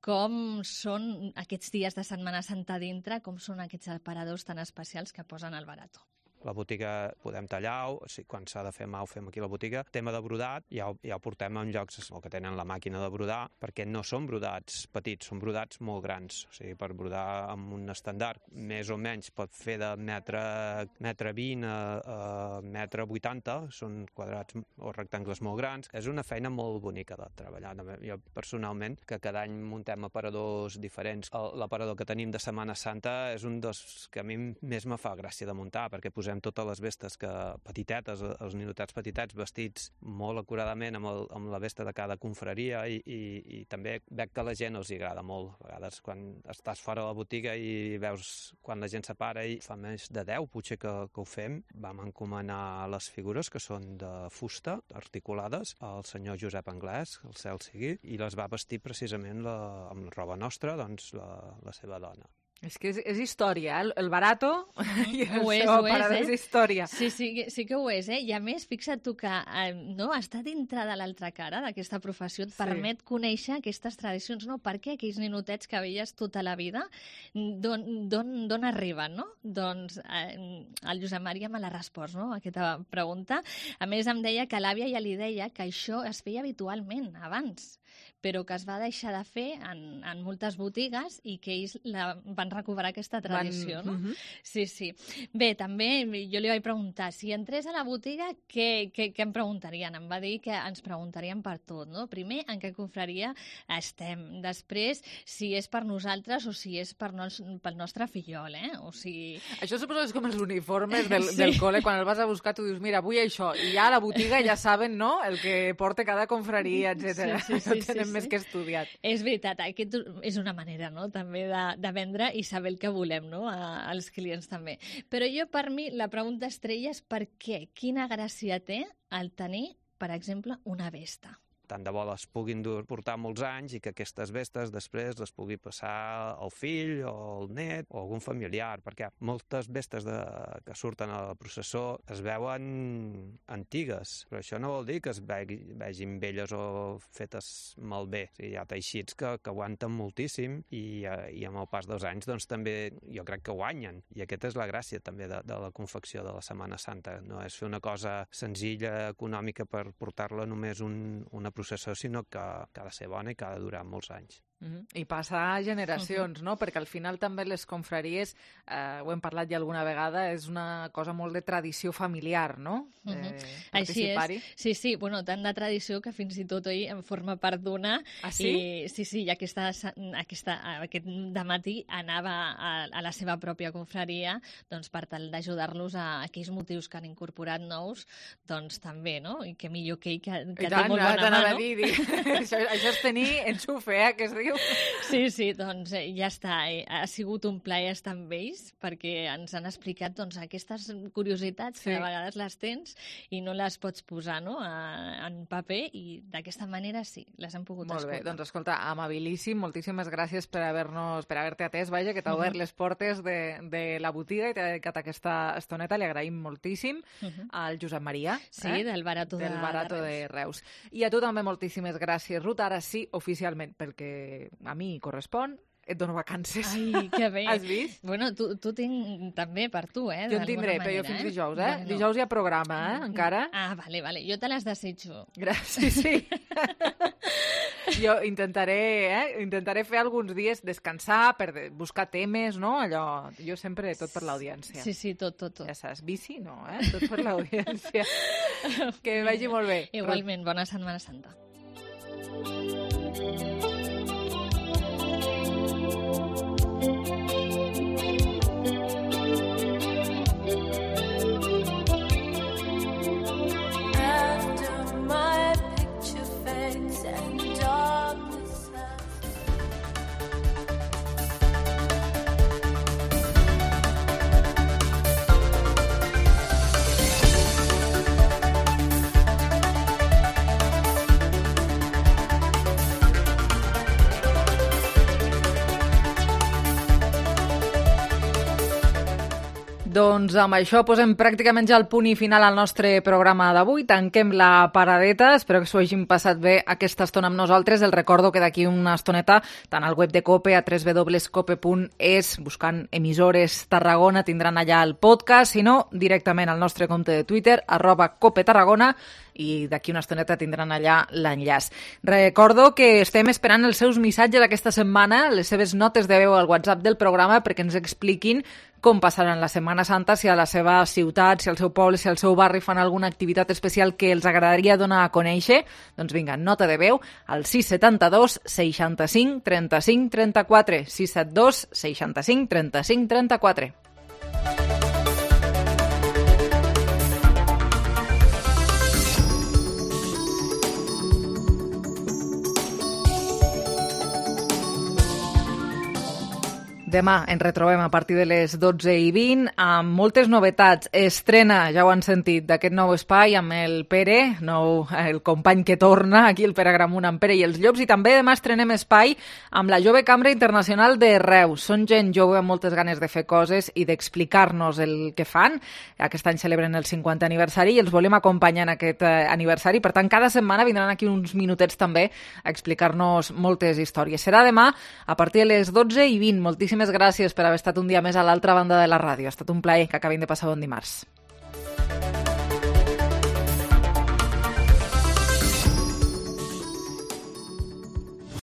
com són aquests dies de Setmana Santa dintre, com són aquests aparadors tan especials que posen al barato. La botiga podem tallar, quan s'ha de fer mà ho fem aquí a la botiga. Tema de brodat ja ho portem en llocs que tenen la màquina de brodar, perquè no són brodats petits, són brodats molt grans. O sigui, per brodar amb un estàndard més o menys pot fer de metre 20 a metre 80, són quadrats o rectangles molt grans. És una feina molt bonica de treballar. Jo personalment, que cada any muntem aparadors diferents, l'aparador que tenim de Setmana Santa és un dels que a mi més me fa gràcia de muntar, perquè posem posem totes les vestes petitetes, els ninotets petitets, vestits molt acuradament amb la vesta de cada confraria i també veig que a la gent els agrada molt. A vegades quan estàs fora de la botiga i veus quan la gent s'apara i fa més de 10 potser que ho fem, vam encomanar les figures que són de fusta articulades al senyor Josep Anglès, el cel sigui, i les va vestir precisament amb la roba nostra, doncs la seva dona. És que és història, el barato i el és, seu aparador és història. Sí que ho és, I a més, fixa't tu que estar dintre de l'altra cara d'aquesta professió et permet conèixer aquestes tradicions, no? Per què aquells ninotets que veies tota la vida, d'on arriben, no? Doncs el Josep Maria me l'ha respost, no?, aquesta pregunta. A més, em deia que l'àvia ja li deia que això es feia habitualment abans, però que es va deixar de fer en moltes botigues i que ells van recuperar aquesta tradició, no? Sí. Bé, també jo li vaig preguntar, si entrés a la botiga, què em preguntarien? Em va dir que ens preguntarien per tot, no? Primer, en què confraria estem. Després, si és per nosaltres o si és pel nostre fillol, O sigui... Això suposo que és com els uniformes del col·le, quan el vas a buscar tu dius, mira, vull això, i ja a la botiga ja saben, no?, el que porta cada confraria, etc. No tenen més que estudiat. És veritat, aquest és una manera, no?, també de vendre i saber el que volem, no?, als clients també. Però per mi, la pregunta estrella és per què? Quina gràcia té el tenir, per exemple, una vesta? Tant de bo les puguin portar molts anys i que aquestes vestes després les pugui passar al fill o al net o algun familiar, perquè moltes vestes que surten a la processó es veuen antigues, però això no vol dir que es vegin velles o fetes malbé. O sigui, hi ha teixits que aguanten moltíssim i amb el pas dels anys doncs també jo crec que guanyen. I aquesta és la gràcia també de la confecció de la Setmana Santa. No és fer una cosa senzilla, econòmica per portar-la només una processó, sinó que ha de ser bona i que ha de durar molts anys. I passar generacions, no? Perquè al final també les confraries, ho hem parlat ja alguna vegada, és una cosa molt de tradició familiar, no? Així és. Sí, bueno, tant de tradició que fins i tot ell en forma part d'una. Ah, sí? Sí, i aquest dematí anava a la seva pròpia confraria doncs per tal d'ajudar-los a aquells motius que han incorporat nous, doncs també, no? I que millor que ell, que té molt bona mà, no? Això és tenir enxufe, que es diu. Sí, doncs ja està. Ha sigut un plaer estar amb ells perquè ens han explicat doncs, aquestes curiositats que a vegades les tens i no les pots posar, no?, en paper, i d'aquesta manera sí, les hem pogut escoltar. Molt bé, doncs escolta, amabilíssim, moltíssimes gràcies per haver-te atès, vaja, que t'ha obert les portes de la botiga i t'ha dedicat aquesta estoneta, li agraïm moltíssim al Josep Maria. Sí, del Barato de Reus. I a tu també moltíssimes gràcies, Ruth, ara sí, oficialment, perquè a mi correspon, et dono vacances. Ai, que bé. Has vist? Bueno, tu tinc també per tu, Jo en tindré, però jo fins dijous, Bueno. Dijous hi ha programa, encara. Ah, vale. Jo te les desitjo. Gràcies, sí. Jo intentaré fer alguns dies descansar, per buscar temes, no? Allò, jo sempre tot per l'audiència. Sí, tot. Ja saps, bici no, tot per l'audiència. Que vagi molt bé. Igualment, bona Setmana Santa. Doncs amb això posem pràcticament ja el punt i final al nostre programa d'avui. Tanquem la paradeta. Espero que s'ho hagin passat bé aquesta estona amb nosaltres. Els recordo que d'aquí una estoneta, tant al web de COPE, a www.cope.es, buscant emissores Tarragona, tindran allà el podcast, si no, directament al nostre compte de Twitter, @COPETarragona, i d'aquí una estoneta tindran allà l'enllaç. Recordo que estem esperant els seus missatges aquesta setmana, les seves notes de veu al WhatsApp del programa, perquè ens expliquin com passaran la Setmana Santa, si a la seva ciutat, si al seu poble, si al seu barri fan alguna activitat especial que els agradaria donar a conèixer. Doncs vinga, nota de veu al 672 65 35 34, 672 65 35 34. Demà ens retrobem a partir de les 12:20 amb moltes novetats. Estrena, ja ho han sentit, d'aquest nou espai amb el Pere, el company que torna, aquí el Pere Gramunt amb Pere i els Llops, i també demà estrenem espai amb la Jove Cambra Internacional de Reus. Són gent jove amb moltes ganes de fer coses i d'explicar-nos el que fan. Aquest any celebren el 50 aniversari i els volem acompanyar en aquest aniversari. Per tant, cada setmana vindran aquí uns minutets també a explicar-nos moltes històries. Serà demà a partir de les 12:20. Moltíssimes gràcies per haver estat un dia més a l'altra banda de la ràdio. Ha estat un plaer. Que acabin de passar bon dimarts.